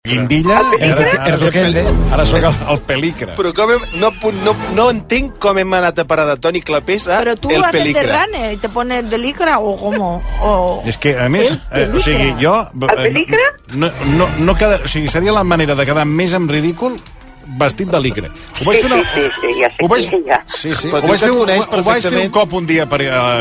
Guindilla, ara sóc el pelicre. Però no entenc com hem anat a parar de Toni Clapés a Pero tú el haces de pelicre. runner y te pones de licra o cómo. O... És que, a més, o sigui, jo... El pelicre? No queda, o sigui, seria la manera de quedar més en ridícul vestit de licre. Ho vaig fer ho vaig fer un cop un dia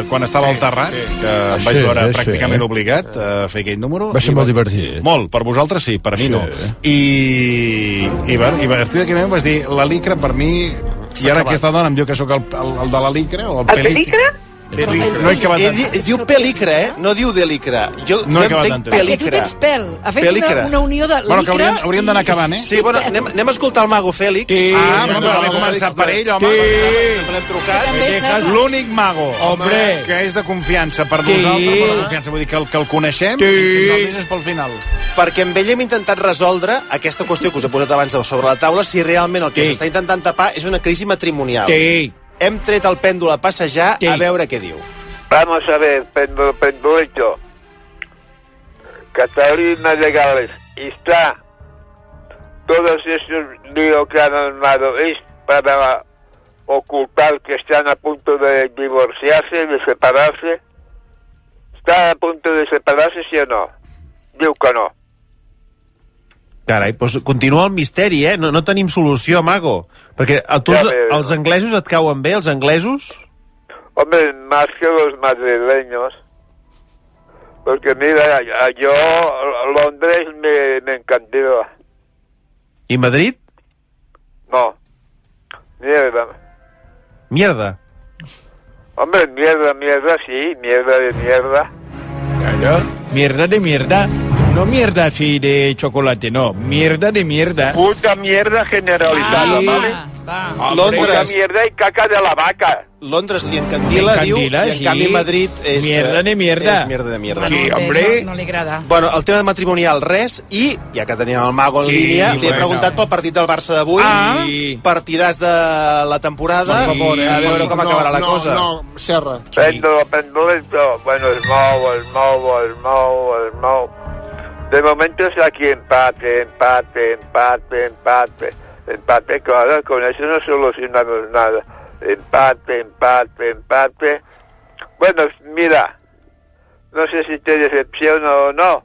quan estava al Terrat, que em vaig veure pràcticament obligat a fer aquell número. Va ser molt divertit. Molt, per vosaltres sí, per a mi no. I a partir d'aquell moment vaig dir, la licra per mi, i ara aquesta dona em diu que sóc el de la licra o el pelicre. No he acabat d'entendre. Diu pelicre, no diu de licra. Jo no he acabat d'entendre. Perquè tu tens pèl. Ha fet una unió de licra. Bueno, que hauríem d'anar acabant, eh? Sí, bueno, anem a escoltar el Mago Fèlix. Vam començar per ell, home. L'hem trucat. L'únic mago, que és de confiança per nosaltres, vull dir que el coneixem i que ens el deixes pel final. Perquè amb ell hem intentat resoldre aquesta qüestió que us he posat abans sobre la taula, si realment el que s'està intentant tapar és una crisi matrimonial. Hem tret el pèndol a passejar a veure què diu. Vamos a ver, pendulito. Catalina Legales, está todos esos líos que han armado es para ocultar que están a punto de divorciarse, de separarse. ¿Está a punto de separarse, sí o no? Diu que no. Carai, doncs continua el misteri, No tenim solució, Mago. Perquè a tu els anglesos et cauen bé, els anglesos? Hombre, más que los madrileños. Porque mira, yo Londres me encantó. ¿Y Madrid? No. Mierda. ¿Mierda? Hombre, mierda, sí. Mierda de mierda. Claro, mierda de mierda. No mierda así de chocolate, no. Mierda de mierda. Puta mierda generalizada, ¿vale? Londres. Puta mierda y caca de la vaca. Londres li encandila, diu, i en canvi Madrid és... Mierda de mierda. És mierda de mierda. Sí, hombre. No li agrada. Bueno, el tema matrimonial, res, i, ja que tenim el Mago en línia, li he preguntat pel partit del Barça d'avui, partidàs de la temporada, per favor, a veure com acabarà la cosa. No, Serra. Pendulito, bueno, el mou. De momento es aquí empate, claro, con eso no solucionamos nada. Empate. Bueno, mira, no sé si te decepciona o no,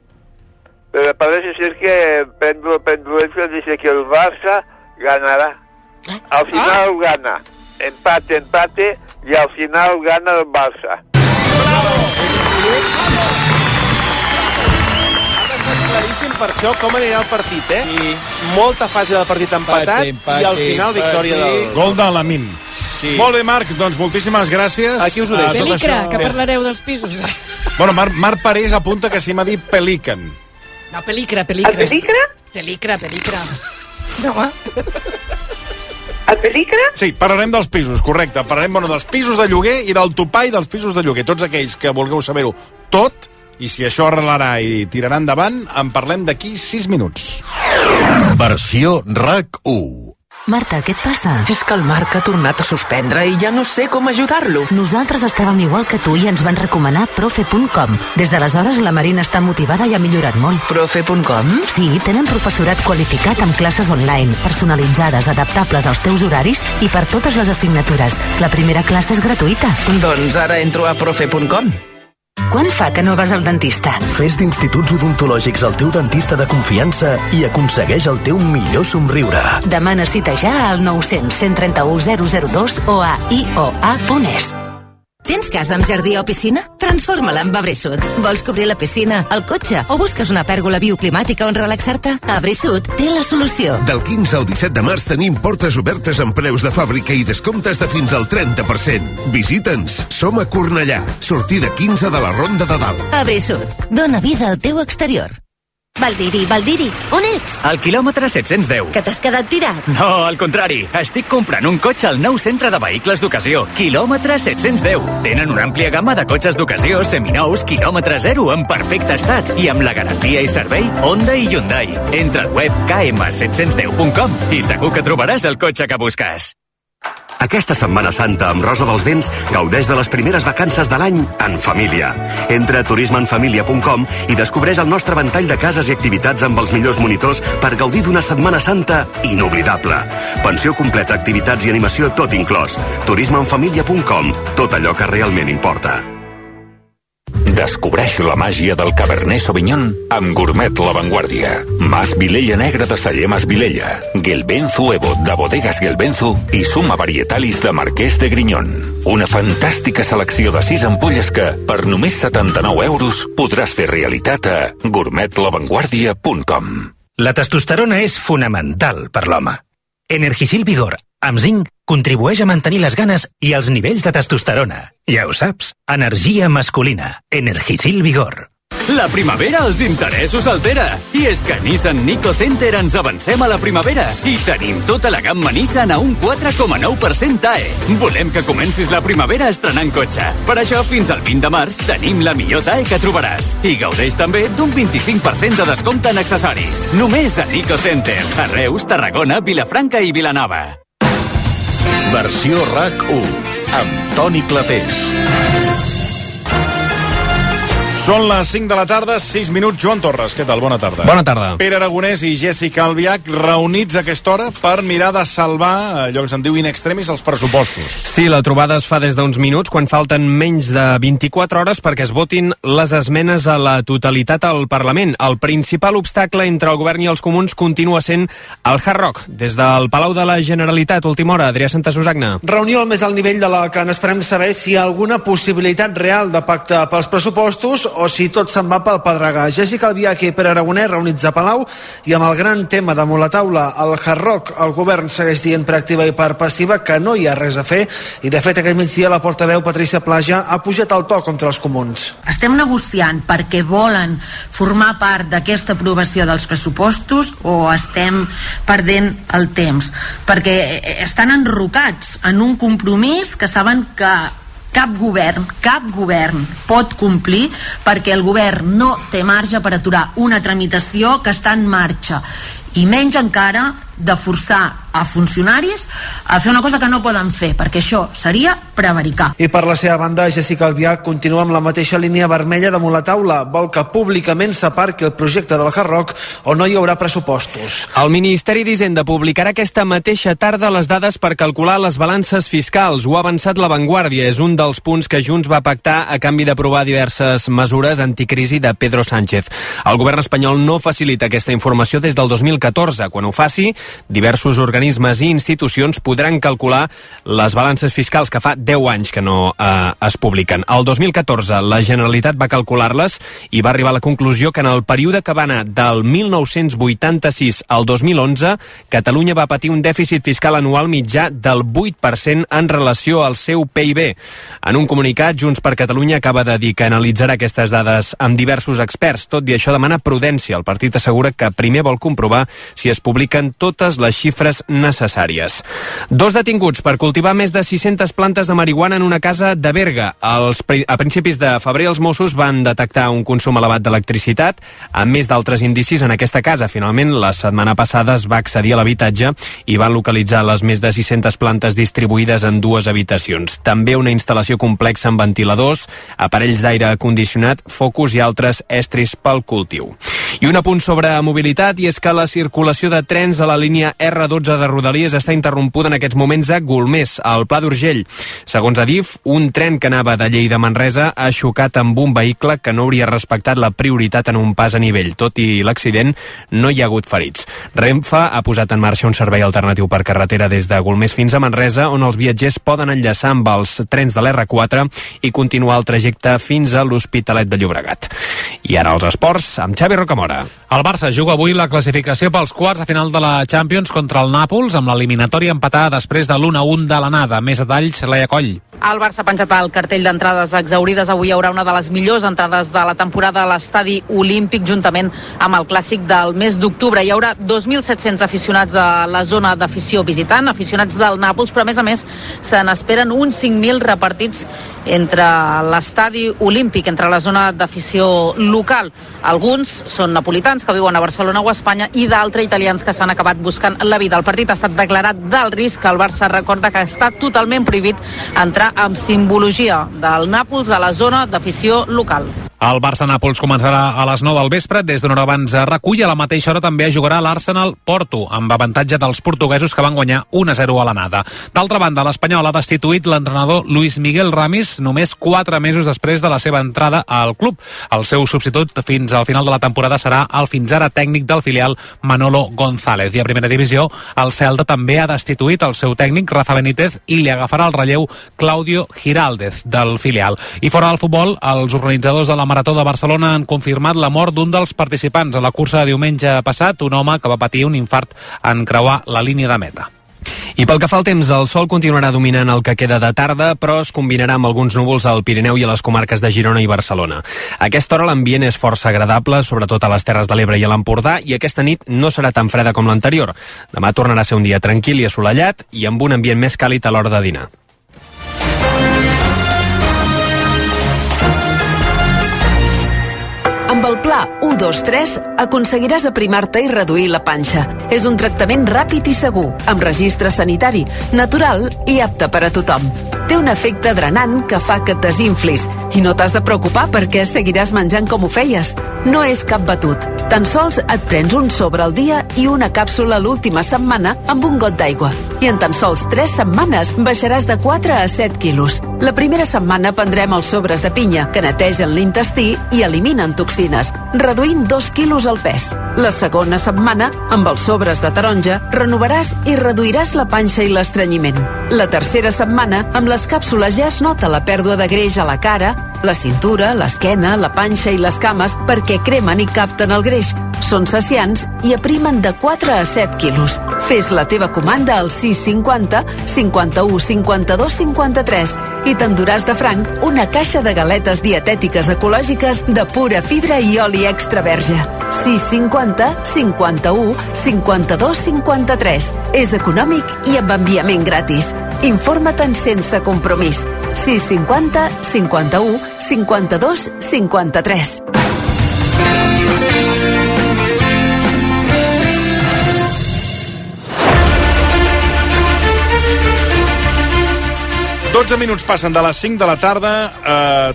pero parece ser que Pendulito dice que el Barça ganará. Al final gana. Empate, y al final gana el Barça. Claríssim per això com anirà el partit, Sí. Molta fase del partit empatat i al final victòria del... Gol de Lamin. Sí. Molt bé, Marc, doncs moltíssimes gràcies. Aquí us ho deixo. Pelicre, que parlareu dels pisos. Bueno, Marc Parés apunta que sí m'ha dit pelican. No, pelicre. El pelicre? Pelicre. No, El pelicre? Sí, parlarem dels pisos, correcte. Parlarem dels pisos de lloguer i del topall dels pisos de lloguer. Tots aquells que vulgueu saber-ho tot, i si això arrelarà i tirarà endavant, en parlem d'aquí 6 minuts. Versió RAC 1. Marta, què et passa? És que el Marc ha tornat a suspendre i ja no sé com ajudar-lo. Nosaltres estàvem igual que tu i ens van recomanar profe.com. Des d'aleshores la Marina està motivada i ha millorat molt. Profe.com? Sí, tenen professorat qualificat amb classes online, personalitzades, adaptables als teus horaris i per totes les assignatures. La primera classe és gratuïta. Doncs ara entro a profe.com. Quan fa que no vas al dentista? Fes d'Instituts Odontològics el teu dentista de confiança i aconsegueix el teu millor somriure. Demana cita ja al 900 131 002 o a ioa.es. Tens casa amb jardí o piscina? Transforma-la amb Abrisud. Vols cobrir la piscina, el cotxe o busques una pèrgola bioclimàtica on relaxar-te? Abrisud té la solució. Del 15 al 17 de març tenim portes obertes amb preus de fàbrica i descomptes de fins al 30%. Visita'ns. Som a Cornellà. Sortida 15 de la Ronda de Dalt. Abrisud. Dóna vida al teu exterior. Valdiri, on ets? Al quilòmetre 710. Que t'has quedat tirat? No, al contrari. Estic comprant un cotxe al nou centre de vehicles d'ocasió. Quilòmetre 710. Tenen una àmplia gamma de cotxes d'ocasió, seminous, quilòmetre zero, en perfecte estat i amb la garantia i servei Honda i Hyundai. Entra al web km710.com i segur que trobaràs el cotxe que busques. Aquesta Setmana Santa amb Rosa dels Vents gaudeix de les primeres vacances de l'any en família. Entra a turismeenfamilia.com i descobreix el nostre ventall de cases i activitats amb els millors monitors per gaudir d'una Setmana Santa inoblidable. Pensió completa, activitats i animació tot inclòs. turismeenfamilia.com. Tot allò que realment importa. Descobreix la màgia del Cabernet Sauvignon amb Gourmet La Vanguardia. Mas Vilella Negra de Celler Mas Vilella, Gelbenzu Evo de Bodegas Gelbenzu i Suma Varietalis de Marquès de Grignon. Una fantàstica selecció de 6 ampolles que, per només 79 euros, podràs fer realitat a gourmetlavanguardia.com. La testosterona és fonamental per l'home. Energisil Vigor, amb zinc, contribueix a mantenir les ganes i els nivells de testosterona. Ja ho saps, energia masculina. Energisil Vigor. La primavera els interessos altera. I és que a Nissan Nico Center ens avancem a la primavera i tenim tota la gamma Nissan a un 4,9% TAE. Volem que comencis la primavera estrenant cotxe. Per això, fins al 20 de març, tenim la millor TAE que trobaràs. I gaudeix també d'un 25% de descompte en accessoris. Només a Nico Center. A Reus, Tarragona, Vilafranca i Vilanova. Versió RAC1 amb Toni Clapés. Són les 5 de la tarda, 6 minuts. Joan Torres, què tal? Bona tarda. Bona tarda. Pere Aragonès i Jessica Albiach reunits a aquesta hora per mirar de salvar, allò que se'n diu in extremis, els pressupostos. Sí, la trobada es fa des d'uns minuts, quan falten menys de 24 hores perquè es votin les esmenes a la totalitat al Parlament. El principal obstacle entre el govern i els comuns continua sent el Hard Rock. Des del Palau de la Generalitat, última hora, Adrià Santasusagna. Reunió al més alt nivell de la que n'esperem saber si hi ha alguna possibilitat real de pacte pels pressupostos o si tot se'n va pel pedregar. Jessica Albiach i Pere Aragonès reunits a Palau i amb el gran tema damunt la taula, el Hard Rock. El govern segueix dient per activa i per passiva que no hi ha res a fer i de fet aquest migdia la portaveu Patricia Plaja ha pujat el to contra els comuns. Estem negociant perquè volen formar part d'aquesta aprovació dels pressupostos o estem perdent el temps? Perquè estan enrocats en un compromís que saben que cap govern pot complir perquè el govern no té marge per aturar una tramitació que està en marxa i menys encara de forçar a funcionaris a fer una cosa que no poden fer, perquè això seria prevaricar. I per la seva banda, Jessica Albiach continua amb la mateixa línia vermella damunt la taula. Vol que públicament s'aparqui el projecte del Hard Rock o no hi haurà pressupostos. El Ministeri d'Hisenda publicarà aquesta mateixa tarda les dades per calcular les balances fiscals. Ho ha avançat La Vanguardia. És un dels punts que Junts va pactar a canvi d'aprovar diverses mesures anticrisi de Pedro Sánchez. El govern espanyol no facilita aquesta informació des del 2014. Quan ho faci, diversos organismes i institucions podran calcular les balances fiscals que fa 10 anys que no es publiquen. El 2014 la Generalitat va calcular-les i va arribar a la conclusió que en el període que va anar del 1986 al 2011 Catalunya va patir un dèficit fiscal anual mitjà del 8% en relació al seu PIB. En un comunicat, Junts per Catalunya acaba de dir que analitzarà aquestes dades amb diversos experts. Tot i això demana prudència. El partit assegura que primer vol comprovar si es publiquen totes les xifres necessàries. 2 detinguts per cultivar més de 600 plantes de marihuana en una casa de Berga. A principis de febrer els Mossos van detectar un consum elevat d'electricitat amb més d'altres indicis en aquesta casa. Finalment, la setmana passada es va accedir a l'habitatge i van localitzar les més de 600 plantes distribuïdes en 2 habitacions. També una instal·lació complexa amb ventiladors, aparells d'aire condicionat, focus i altres estris pel cultiu. I un apunt sobre mobilitat, i és que la circulació de trens a la línia R12 de Rodalies està interrompuda en aquests moments a Golmés, al Pla d'Urgell. Segons Adif, un tren que anava de Lleida a Manresa ha xocat amb un vehicle que no hauria respectat la prioritat en un pas a nivell. Tot i l'accident, no hi ha hagut ferits. Renfe ha posat en marxa un servei alternatiu per carretera des de Golmés fins a Manresa, on els viatgers poden enllaçar amb els trens de l'R4 i continuar el trajecte fins a l'Hospitalet de Llobregat. I ara els esports, amb Xavi Rocamora. El Barça juga avui la classificació pels quarts de final de la Champions contra el Nàpols, amb l'eliminatòria empatada després de l'1-1 de l'anada. Més detalls, Laia Coll. El Barça ha penjat el cartell d'entrades exaurides. Avui hi haurà una de les millors entrades de la temporada a l'Estadi Olímpic, juntament amb el clàssic del mes d'octubre. Hi haurà 2.700 aficionats a la zona d'afició visitant, aficionats del Nàpols, però a més se n'esperen uns 5.000 repartits entre l'Estadi Olímpic, entre la zona d'afició local. Alguns són napolitans que viuen a Barcelona o a Espanya i d'altres italians que s'han acabat buscant la vida. El partit ha estat declarat d'alt risc. El Barça recorda que està totalment prohibit entrar amb simbologia del Nàpols a la zona d'afició local. El Barça-Nàpols començarà a les 9 del vespre. Des d'una hora abans recull. A la mateixa hora també jugarà l'Arsenal-Porto, amb avantatge dels portuguesos que van guanyar 1-0 a l'anada. D'altra banda, l'Espanyol ha destituït l'entrenador Luis Miguel Ramis només 4 mesos després de la seva entrada al club. El seu substitut fins al final de la temporada serà el fins ara tècnic del filial Manolo González. I a primera divisió, el Celta també ha destituït el seu tècnic Rafa Benítez i li agafarà el relleu Claudio Giraldez del filial. I fora del futbol, els organitzadors de la Marató de Barcelona han confirmat la mort d'un dels participants a la cursa de diumenge passat, un home que va patir un infart en creuar la línia de meta. I pel que fa al temps, el sol continuarà dominant el que queda de tarda, però es combinarà amb alguns núvols al Pirineu i a les comarques de Girona i Barcelona. A aquesta hora l'ambient és força agradable, sobretot a les Terres de l'Ebre i a l'Empordà, i aquesta nit no serà tan freda com l'anterior. Demà tornarà a ser un dia tranquil i assolellat i amb un ambient més càlid a l'hora de dinar. Amb el pla 1-2-3 aconseguiràs aprimar-te i reduir la panxa. És un tractament ràpid i segur, amb registre sanitari, natural i apte per a tothom. Té un efecte drenant que fa que et desinflis i no t'has de preocupar perquè seguiràs menjant com ho feies. No és cap batut. Tan sols et prens un sobre al dia i una càpsula l'última setmana amb un got d'aigua. I en tan sols 3 setmanes baixaràs de 4 a 7 quilos. La primera setmana prendrem els sobres de pinya, que netegen l'intestí i eliminen toxines, reduint 2 quilos el pes. La segona setmana, amb els sobres de taronja, renovaràs i reduiràs la panxa i l'estrenyiment. La tercera setmana, amb les càpsules ja es nota la pèrdua de greix a la cara, la cintura, l'esquena, la panxa i les cames perquè cremen i capten el greix. Són saciants i aprimen de 4 a 7 quilos. Fes la teva comanda al 650 51 52 53 i t'enduràs de franc una caixa de galetes dietètiques ecològiques de pura fibra i oli extra verge. 650 51 52 53. És econòmic i amb enviament gratis. Informa-te'n sense compromís. 650 51 52 53. Dotze minuts passen de les 5 de la tarda.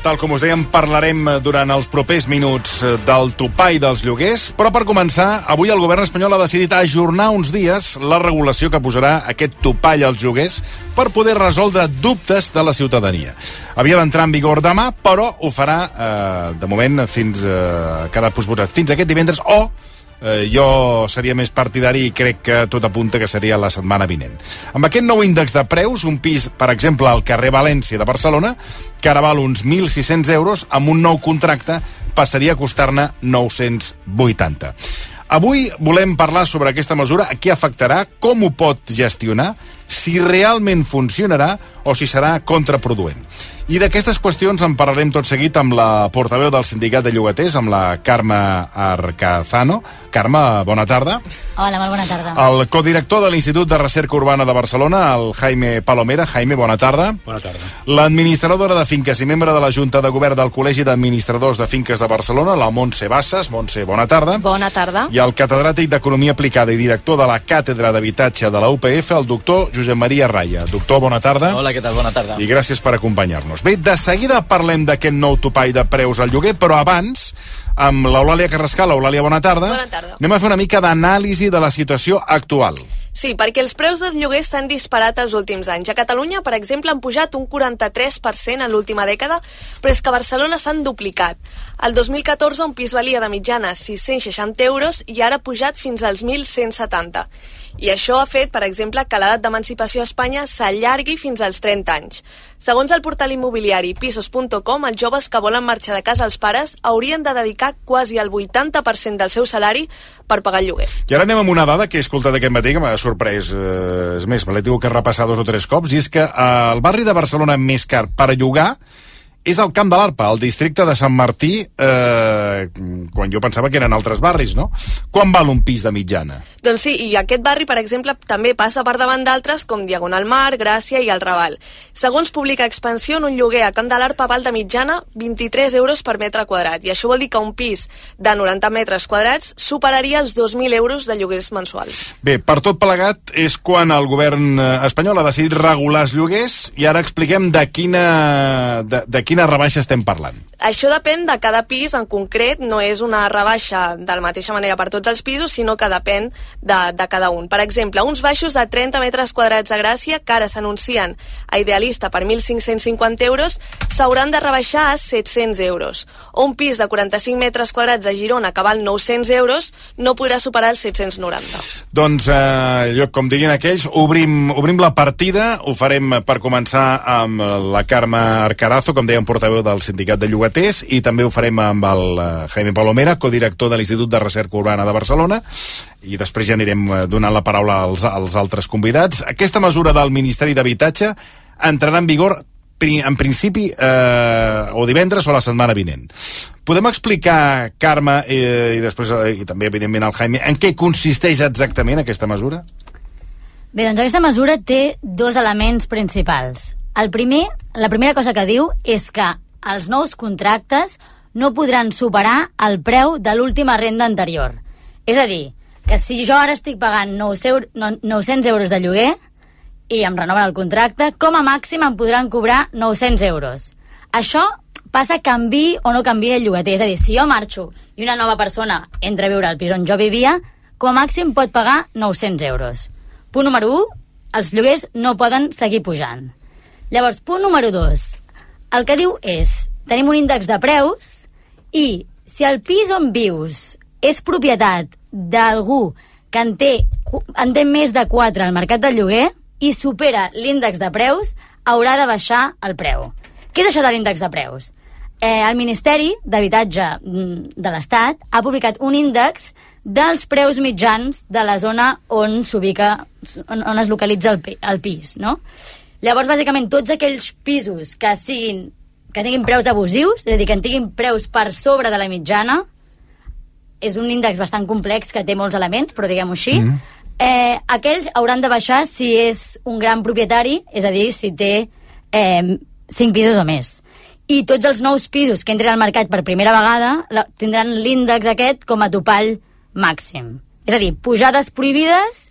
Tal com us dèiem, parlarem durant els propers minuts del topall dels lloguers. Però per començar, avui el govern espanyol ha decidit ajornar uns dies la regulació que posarà aquest topall als lloguers per poder resoldre dubtes de la ciutadania. Havia d'entrar en vigor demà, però ho farà, de moment, fins aquest divendres, o jo seria més partidari i crec que tot apunta que seria la setmana vinent. Amb aquest nou índex de preus, un pis, per exemple, al carrer València de Barcelona, que ara val uns 1.600 euros, amb un nou contracte passaria a costar-ne 980. Avui volem parlar sobre aquesta mesura, a què afectarà, com ho pot gestionar, si realment funcionarà o si serà contraproduent. I d'aquestes qüestions en parlarem tot seguit amb la portaveu del Sindicat de Llogaters, amb la Carme Arcazano. Carme, bona tarda. Hola, molt bona tarda. El codirector de l'Institut de Recerca Urbana de Barcelona, el Jaime Palomera. Jaime, bona tarda. Bona tarda. L'administradora de finques i membre de la Junta de Govern del Col·legi d'Administradors de Finques de Barcelona, la Montse Bassas. Montse, bona tarda. Bona tarda. I el catedràtic d'Economia Aplicada i director de la Càtedra d'Habitatge de la UPF, el doctor Josep Maria Raya. Doctor, bona tarda. Hola, què tal? Bona tarda. I gràcies per acompanyar-nos. Bé, de seguida parlem d'aquest nou topall de preus al lloguer, però abans, amb l'Eulàlia Carrascal. Eulàlia, bona tarda. Bona tarda. Anem a fer una mica d'anàlisi de la situació actual. Sí, perquè els preus dels lloguers s'han disparat els últims anys. A Catalunya, per exemple, han pujat un 43% en l'última dècada, però és que a Barcelona s'han duplicat. El 2014 un pis valia de mitjana 660 euros i ara ha pujat fins als 1.170. I això ha fet, per exemple, que l'edat d'emancipació a Espanya s'allargui fins als 30 anys. Segons el portal immobiliari pisos.com, els joves que volen marxar de casa als pares haurien de dedicar quasi el 80% del seu salari per pagar el lloguer. I ara anem amb una dada que he escoltat aquest matí que m'ha sorprès. És més, me l'he tingut que repassar 2 o 3 cops, i és que el barri de Barcelona més car per llogar és el Camp de l'Arpa, al districte de Sant Martí, quan jo pensava que eren altres barris, no? Quan val un pis de mitjana? Doncs sí, i aquest barri, per exemple, també passa per davant d'altres com Diagonal Mar, Gràcia i el Raval. Segons publica Expansió, un lloguer a Camp de l'Arpa val de mitjana 23 euros per metre quadrat, i això vol dir que un pis de 90 metres quadrats superaria els 2.000 euros de lloguers mensuals. Bé, per tot plegat és quan el govern espanyol ha decidit regular els lloguers, i ara expliquem de quina rebaixa estem parlant. Això depèn de cada pis en concret, no és una rebaixa de la mateixa manera per tots els pisos, sinó que depèn de cada un. Per exemple, uns baixos de 30 metres quadrats a Gràcia, que ara s'anuncien a Idealista per 1.550 euros, s'hauran de rebaixar a 700 euros. O un pis de 45 metres quadrats a Girona, que val 900 euros, no podrà superar els 790. Doncs, com diguin aquells, obrim la partida, ho farem per començar amb la Carme Arcarazo, com deia, portaveu del Sindicat de Llogaters, i també ho farem amb el Jaime Palomera, codirector de l'Institut de Recerca Urbana de Barcelona, i després ja anirem donant la paraula als altres convidats. Aquesta mesura del Ministeri d'Habitatge entrarà en vigor en principi o divendres o la setmana vinent. Podem explicar, Carme, i després i també evidentment el Jaime, en què consisteix exactament aquesta mesura? Bé, doncs aquesta mesura té dos elements principals. La primera cosa que diu és que els nous contractes no podran superar el preu de l'última renda anterior. És a dir, que si jo ara estic pagant 900 euros de lloguer i em renoven el contracte, com a màxim em podran cobrar 900 euros. Això passa canvi o no canvi el llogater. És a dir, si jo marxo i una nova persona entra a viure al pis on jo vivia, com a màxim pot pagar 900 euros. Punt número 1, els lloguers no poden seguir pujant. Llavors, punt número 2, el que diu és, tenim un índex de preus i si el pis on vius és propietat d'algú que en té més de 4 al mercat del lloguer i supera l'índex de preus, haurà de baixar el preu. Què és això de l'índex de preus? El Ministeri d'Habitatge de l'Estat ha publicat un índex dels preus mitjans de la zona on s'ubica, on es localitza el pis, no? Llavors, bàsicament, tots aquells pisos que tinguin preus abusius, és a dir, que tinguin preus per sobre de la mitjana, és un índex bastant complex que té molts elements, però diguem-ho així, aquells hauran de baixar si és un gran propietari, és a dir, si té 5 pisos o més. I tots els nous pisos que entren al mercat per primera vegada tindran l'índex aquest com a topall màxim. És a dir, pujades prohibides,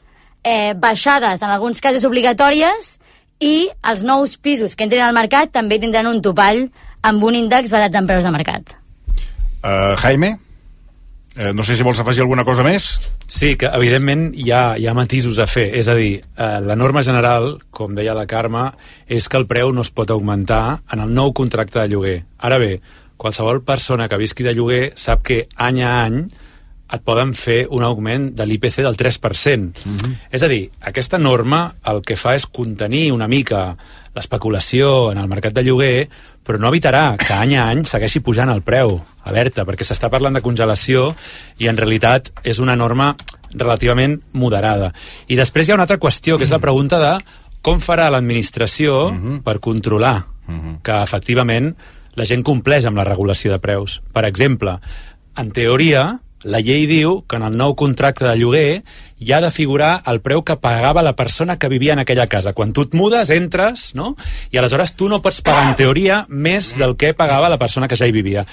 baixades en alguns casos obligatòries, i els nous pisos que entren al mercat també tindran un topall amb un índex basat en preus de mercat. Jaime? No sé si vols afegir alguna cosa més. Sí, que evidentment hi ha matisos a fer. És a dir, la norma general, com deia la Carme, és que el preu no es pot augmentar en el nou contracte de lloguer. Ara bé, qualsevol persona que visqui de lloguer sap que any a any et poden fer un augment de l'IPC del 3%. És a dir, aquesta norma el que fa és contenir una mica l'especulació en el mercat de lloguer, però no evitarà que any a any segueixi pujant el preu. Alerta, perquè s'està parlant de congelació i en realitat és una norma relativament moderada. I després hi ha una altra qüestió, que és la pregunta de com farà l'administració per controlar que efectivament la gent compleix amb la regulació de preus. Per exemple, en teoria, la llei diu que en el nou contracte de lloguer hi ha de figurar el preu que pagava la persona que vivia en aquella casa. Quan tu et mudes, entres, no? I aleshores tu no pots pagar, en teoria, més del que pagava la persona que ja hi vivia.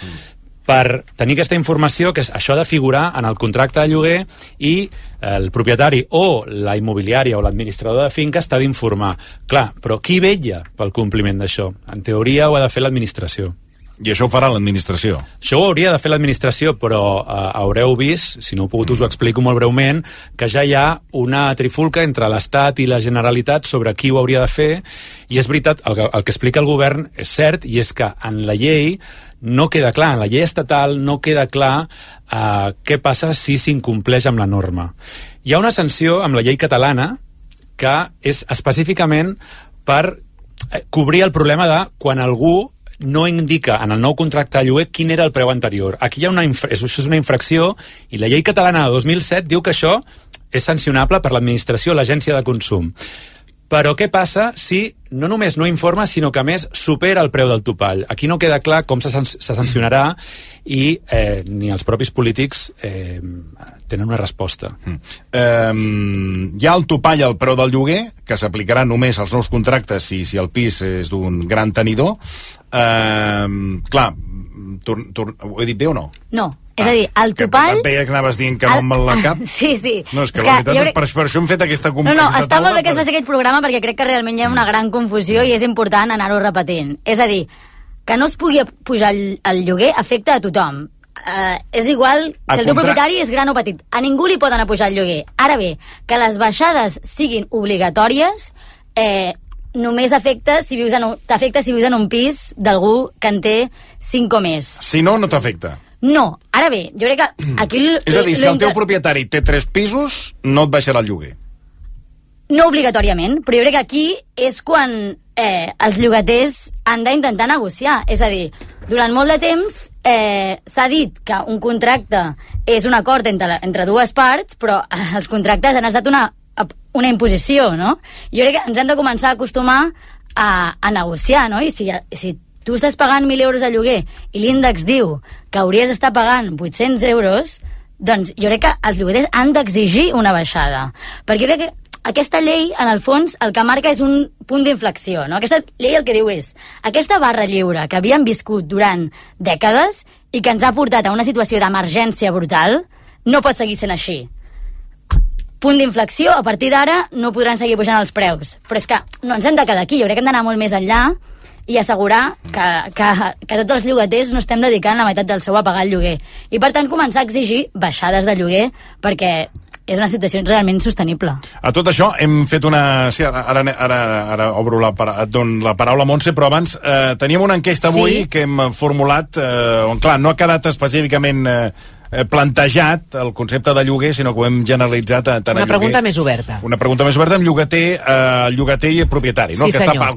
Per tenir aquesta informació, que això ha de figurar en el contracte de lloguer, i el propietari o la immobiliària o l'administrador de finca està d'informar. Clar, però qui vetlla pel compliment d'això? En teoria ho ha de fer l'administració. I això ho farà l'administració? Això ho hauria de fer l'administració, però haureu vist, si no ho pogut us ho explico molt breument, que ja hi ha una trifulca entre l'Estat i la Generalitat sobre qui ho hauria de fer, i és veritat, el que explica el govern és cert, i és que en la llei no queda clar, en la llei estatal no queda clar què passa si s'incompleix amb la norma. Hi ha una sanció amb la llei catalana que és específicament per cobrir el problema de quan algú no indica en el nou contracte de lloguer quin era el preu anterior. Aquí hi ha això és una infracció, i la llei catalana de 2007 diu que això és sancionable per l'administració, l'agència de consum. Però què passa si no només no informa, sinó que a més supera el preu del topall? Aquí no queda clar com se sancionarà i ni els propis polítics tenen una resposta. Hi ha el topall al preu del lloguer, que s'aplicarà només als nous contractes si el pis és d'un gran tenidor. Clar, ho he dit bé o no? No. És a dir, el topall... Veia que anaves dient que no amb la cap. Sí. No, és que la veritat és per això hem fet aquesta No, està molt bé que es faci aquest programa perquè crec que realment hi ha una gran confusió i és important anar-ho repetint. És a dir, que no es pugui pujar el lloguer afecta a tothom. És igual si el teu propietari és gran o petit. A ningú li poden pujar el lloguer. Ara bé, que les baixades siguin obligatòries només t'afecta si vius en un pis d'algú que en té 5 o més. Si no, no t'afecta. No, ara bé, jo crec que aquí... És a dir, si el teu propietari té 3 pisos, no et baixarà el lloguer. No obligatòriament, però jo crec que aquí és quan els llogaters han d'intentar negociar. És a dir, durant molt de temps s'ha dit que un contracte és un acord entre dues parts, però els contractes han estat una imposició, no? Jo crec que ens hem de començar a acostumar a negociar, no? I si tu estàs pagant 1.000 euros de lloguer i l'índex diu que hauries d'estar pagant 800 euros, doncs jo crec que els lloguers han d'exigir una baixada. Perquè jo crec que aquesta llei, en el fons, el que marca és un punt d'inflexió, no? Aquesta llei el que diu és aquesta barra lliure que havíem viscut durant dècades i que ens ha portat a una situació d'emergència brutal, no pot seguir sent així. Punt d'inflexió, a partir d'ara no podran seguir pujant els preus. Però és que no ens hem de quedar aquí, jo crec que hem d'anar molt més enllà i assegurar que tots els llogaters no estem dedicant la meitat del seu a pagar el lloguer. I, per tant, començar a exigir baixades de lloguer perquè és una situació realment sostenible. A tot això hem fet una... Sí, ara obro et dono la paraula, Montse, però abans teníem una enquesta avui que hem formulat on, clar, no ha quedat específicament plantejat el concepte de lloguer, sinó que ho hem generalitzat tant a lloguer. Una pregunta més oberta. Una pregunta més oberta amb llogater i propietari, no? Sí, senyor.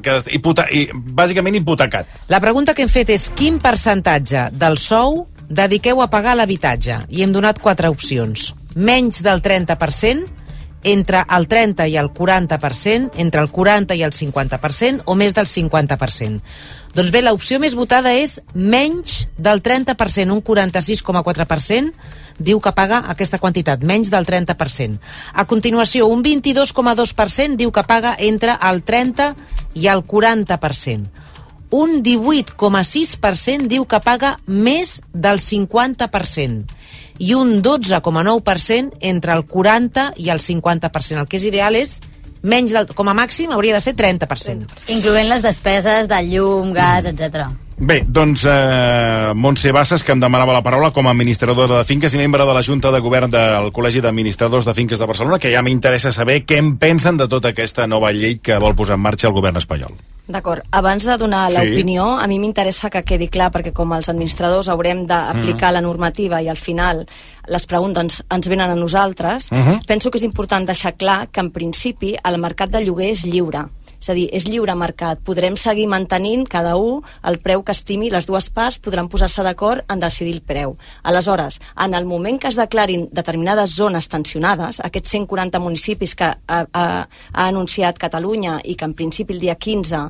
Bàsicament hipotecat. La pregunta que hem fet és quin percentatge del sou dediqueu a pagar l'habitatge? I hem donat 4 opcions. Menys del 30%, entre el 30 i el 40%, entre el 40 i el 50% o més del 50%. Doncs bé, l'opció més votada és menys del 30%, un 46,4% diu que paga aquesta quantitat, menys del 30%. A continuació, un 22,2% diu que paga entre el 30 i el 40%. Un 18,6% diu que paga més del 50%. I un 12,9% entre el 40 i el 50%. El que és ideal és menys del, com a màxim hauria de ser 30%. Incloent les despeses de llum, gas, etc. Bé, doncs Montse Bassas, que em demanava la paraula com a administradora de finques i membre de la Junta de Govern del Col·legi d'Administradors de Finques de Barcelona, que ja m'interessa saber què en pensen de tota aquesta nova llei que vol posar en marxa el govern espanyol. D'acord. Abans de donar l'opinió, a mi m'interessa que quedi clar, perquè com els administradors haurem d'aplicar la normativa i al final les preguntes ens venen a nosaltres, penso que és important deixar clar que en principi el mercat de lloguer és lliure. És a dir, és lliure mercat. Podrem seguir mantenint cada un el preu que estimi, les dues parts podran posar-se d'acord en decidir el preu. Aleshores, en el moment que es declarin determinades zones tensionades, aquests 140 municipis que ha anunciat Catalunya i que en principi el dia 15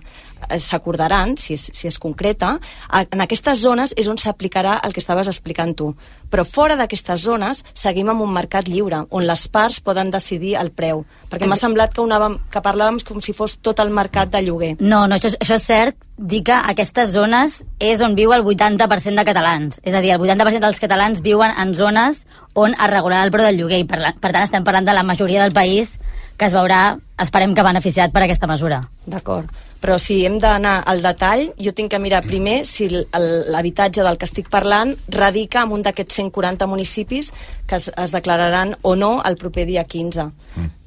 s'acordaran, si es concreta, en aquestes zones és on s'aplicarà el que estaves explicant tu. Però fora d'aquestes zones seguim amb un mercat lliure, on les parts poden decidir el preu. Perquè m'ha semblat que parlàvem com si fos tot el mercat de lloguer. No, això és cert. Dir que aquestes zones és on viu el 80% de catalans. És a dir, el 80% dels catalans viuen en zones on es regularà el preu del lloguer. I per tant estem parlant de la majoria del país que es veurà, esperem que beneficiat per aquesta mesura. D'acord. Però si hem d'anar al detall, jo tinc que mirar primer si l'habitatge del que estic parlant radica en un d'aquests 140 municipis que es declararan o no el proper dia 15.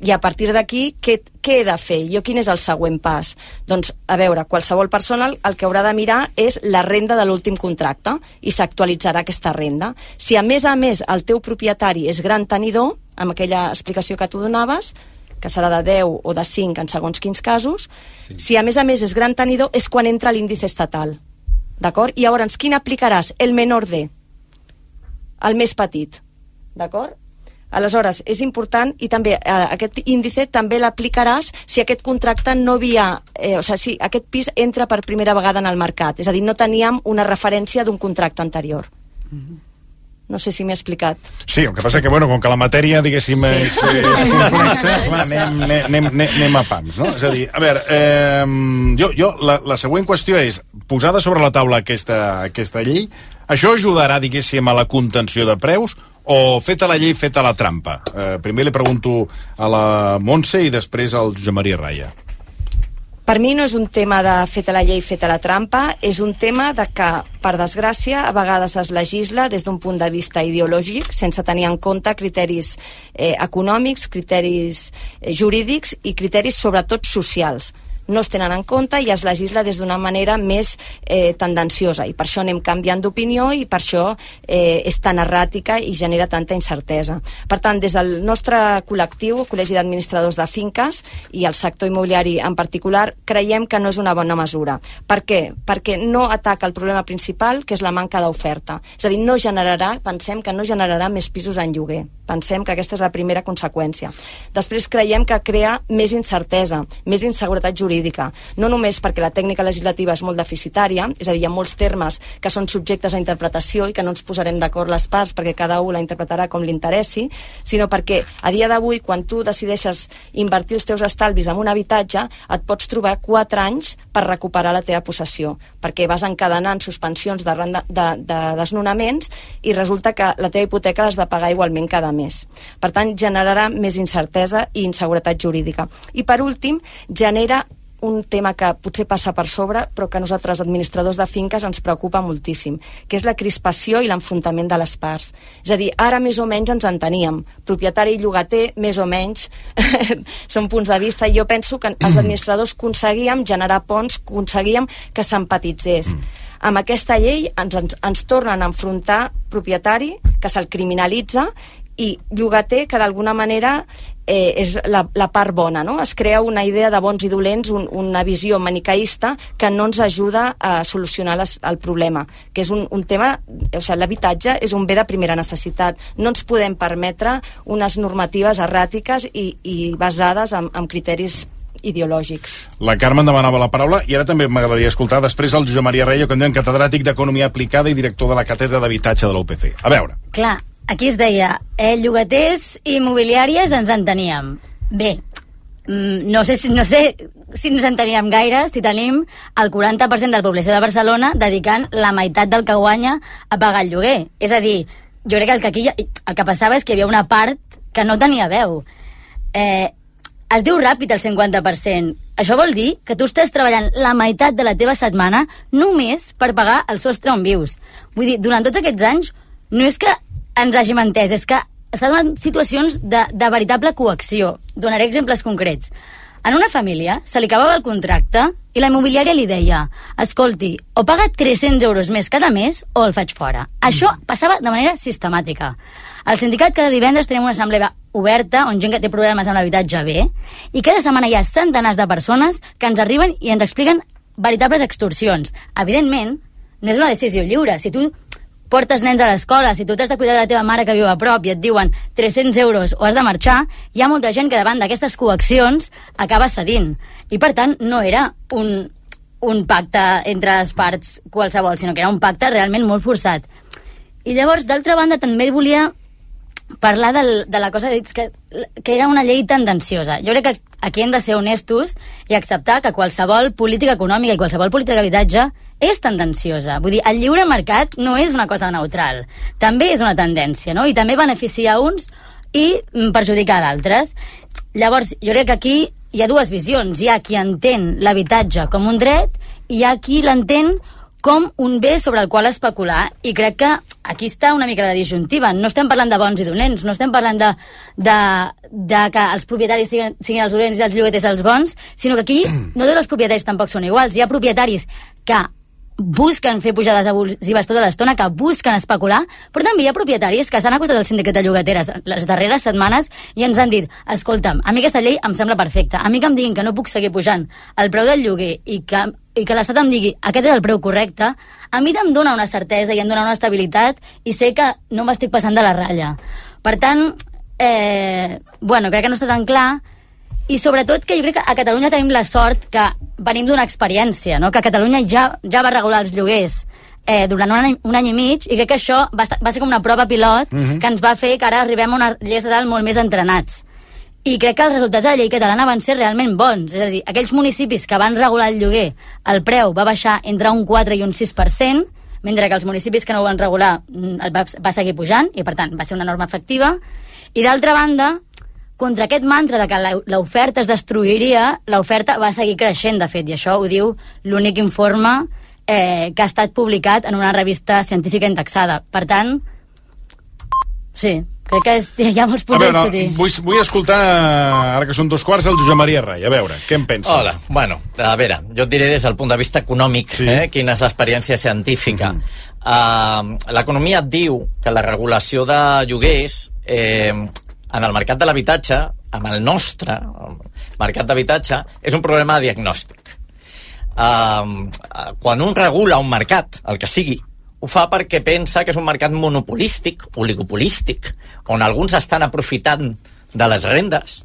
I a partir d'aquí, què he de fer? Quin és el següent pas? Doncs, a veure, qualsevol persona el que haurà de mirar és la renda de l'últim contracte i s'actualitzarà aquesta renda. Si a més el teu propietari és gran tenidor, amb aquella explicació que tu donaves, que serà de 10 o de 5 en segons quins casos, si a més és gran tenidor, és quan entra l'índice estatal. D'acord? I llavors, quin aplicaràs? El menor de. El més petit. D'acord? Aleshores, és important, i també aquest índice també l'aplicaràs si aquest contracte no havia... si aquest pis entra per primera vegada en el mercat. És a dir, no teníem una referència d'un contracte anterior. No sé si m'he explicat. Sí, el que passa que, com que la matèria, diguéssim, és complexa, anem a pams, no? És a dir, a veure, la següent qüestió és, posada sobre la taula aquesta llei, això ajudarà, diguéssim, a la contenció de preus o feta la llei, feta la trampa? Primer li pregunto a la Montse i després al Josep Maria Raya. Per mi no és un tema de feta la llei, feta la trampa, és un tema de que, per desgràcia, a vegades es legisla des d'un punt de vista ideològic, sense tenir en compte criteris econòmics, criteris jurídics i criteris sobretot socials. No es tenen en compte i es legisla des d'una manera més tendenciosa, i per això anem canviant d'opinió i per això és tan erràtica i genera tanta incertesa. Per tant, des del nostre col·lectiu, Col·legi d'Administradors de Finques i el sector immobiliari en particular, creiem que no és una bona mesura. Per què? Perquè no ataca el problema principal, que és la manca d'oferta. És a dir, pensem que no generarà més pisos en lloguer. Pensem que aquesta és la primera conseqüència. Després creiem que crea més incertesa, més inseguretat jurídica, no només perquè la tècnica legislativa és molt deficitària, és a dir, hi ha molts termes que són subjectes a interpretació i que no ens posarem d'acord les parts perquè cada un la interpretarà com li interessi, sinó perquè a dia d'avui, quan tu decideixes invertir els teus estalvis en un habitatge, et pots trobar 4 anys per recuperar la teva possessió, perquè vas encadenant suspensions de desnonaments i resulta que la teva hipoteca l'has de pagar igualment cada mes. Per tant, generarà més incertesa i inseguretat jurídica. I per últim, genera un tema que potser passa per sobre, però que a nosaltres, administradors de finques, ens preocupa moltíssim, que és la crispació i l'enfrontament de les parts. És a dir, ara més o menys ens enteníem. Propietari i llogater, més o menys, són punts de vista, i jo penso que els administradors aconseguíem generar ponts, aconseguíem que s'empatitzés. Amb aquesta llei ens tornen a enfrontar propietari, que se'l criminalitza, i llogater, que d'alguna manera és la part bona, no? Es crea una idea de bons i dolents, una visió manicaïsta que no ens ajuda a solucionar el problema, que és un tema, l'habitatge és un bé de primera necessitat. No ens podem permetre unes normatives erràtiques i basades en criteris ideològics. La Carme em demanava la paraula i ara també m'agradaria escoltar després el Josep Maria Reyo, que en catedràtic d'Economia Aplicada i director de la Càtedra d'Habitatge de la UPC. A veure. Clar, aquí es deia, llogaters i immobiliàries ens enteníem. Bé, no sé si ens enteníem gaire si tenim el 40% de la població de Barcelona dedicant la meitat del que guanya a pagar el lloguer. És a dir, jo crec que aquí el que passava és que hi havia una part que no tenia veu. Es diu ràpid el 50%. Això vol dir que tu estàs treballant la meitat de la teva setmana només per pagar el sostre on vius. Vull dir, durant tots aquests anys no és que ens hàgim entès, és que s'ha donat situacions de veritable coacció. Donaré exemples concrets. En una família se li acabava el contracte i la immobiliària li deia: escolti, o paga 300 euros més cada mes o el faig fora. Això passava de manera sistemàtica. Al sindicat cada divendres tenim una assemblea oberta on gent que té problemes amb l'habitatge ve, i cada setmana hi ha centenars de persones que ens arriben i ens expliquen veritables extorsions. Evidentment, no és una decisió lliure. Si tu portes nens a l'escola, si tu t'has de cuidar de la teva mare que viu a prop i et diuen 300 euros o has de marxar, hi ha molta gent que davant d'aquestes coaccions acaba cedint. I per tant no era un pacte entre les parts qualsevol, sinó que era un pacte realment molt forçat. I llavors, d'altra banda, també volia parlar de la cosa que era una llei tendenciosa. Jo crec que aquí hem de ser honestos i acceptar que qualsevol política econòmica i qualsevol política d'habitatge és tendenciosa. Vull dir, el lliure mercat no és una cosa neutral. També és una tendència, no? I també beneficia uns i perjudica d'altres. Llavors, jo crec que aquí hi ha dues visions. Hi ha qui entén l'habitatge com un dret i hi ha qui l'entén com un bé sobre el qual especular, i crec que aquí està una mica la disjuntiva. No estem parlant de bons i dolents, no estem parlant de que els propietaris siguin els dolents i els llogaters els bons, sinó que aquí no tots els propietaris tampoc són iguals. Hi ha propietaris que busquen fer pujades abusives tota l'estona, que busquen especular, però també hi ha propietaris que s'han acostat al sindicat de llogateres les darreres setmanes i ens han dit: escolta'm, a mi aquesta llei em sembla perfecta, a mi que em diguin que no puc seguir pujant el preu del lloguer i que l'Estat em digui aquest és el preu correcte, a mi em dona una certesa i em dona una estabilitat i sé que no m'estic passant de la ratlla. Per tant, crec que no està tan clar, i sobretot que jo crec que a Catalunya tenim la sort que venim d'una experiència, no? Que Catalunya ja va regular els lloguers durant un any i mig, i crec que això va ser com una prova pilot que ens va fer que ara arribem a una llei estatal molt més entrenats. I crec que els resultats de la llei catalana van ser realment bons. És a dir, aquells municipis que van regular el lloguer, el preu va baixar entre un 4 i un 6%, mentre que els municipis que no ho van regular va seguir pujant, i per tant va ser una norma efectiva. I d'altra banda, contra aquest mantra de que l'oferta es destruiria, l'oferta va seguir creixent, de fet, i això ho diu l'únic informe que ha estat publicat en una revista científica indexada. Per tant, sí, crec que hi ha molts punts a discutir. Vull escoltar, ara que són 2:15, el Josep Maria Rai. A veure, què en pensa? Hola, bueno, a veure, jo et diré des del punt de vista econòmic, quina és l'experiència científica. L'economia et diu que la regulació de lloguers en el mercat de l'habitatge, amb el nostre mercat d'habitatge, és un problema de diagnòstic. Quan un regula un mercat, el que sigui, ho fa perquè pensa que és un mercat monopolístic, oligopolístic, on alguns estan aprofitant de les rendes,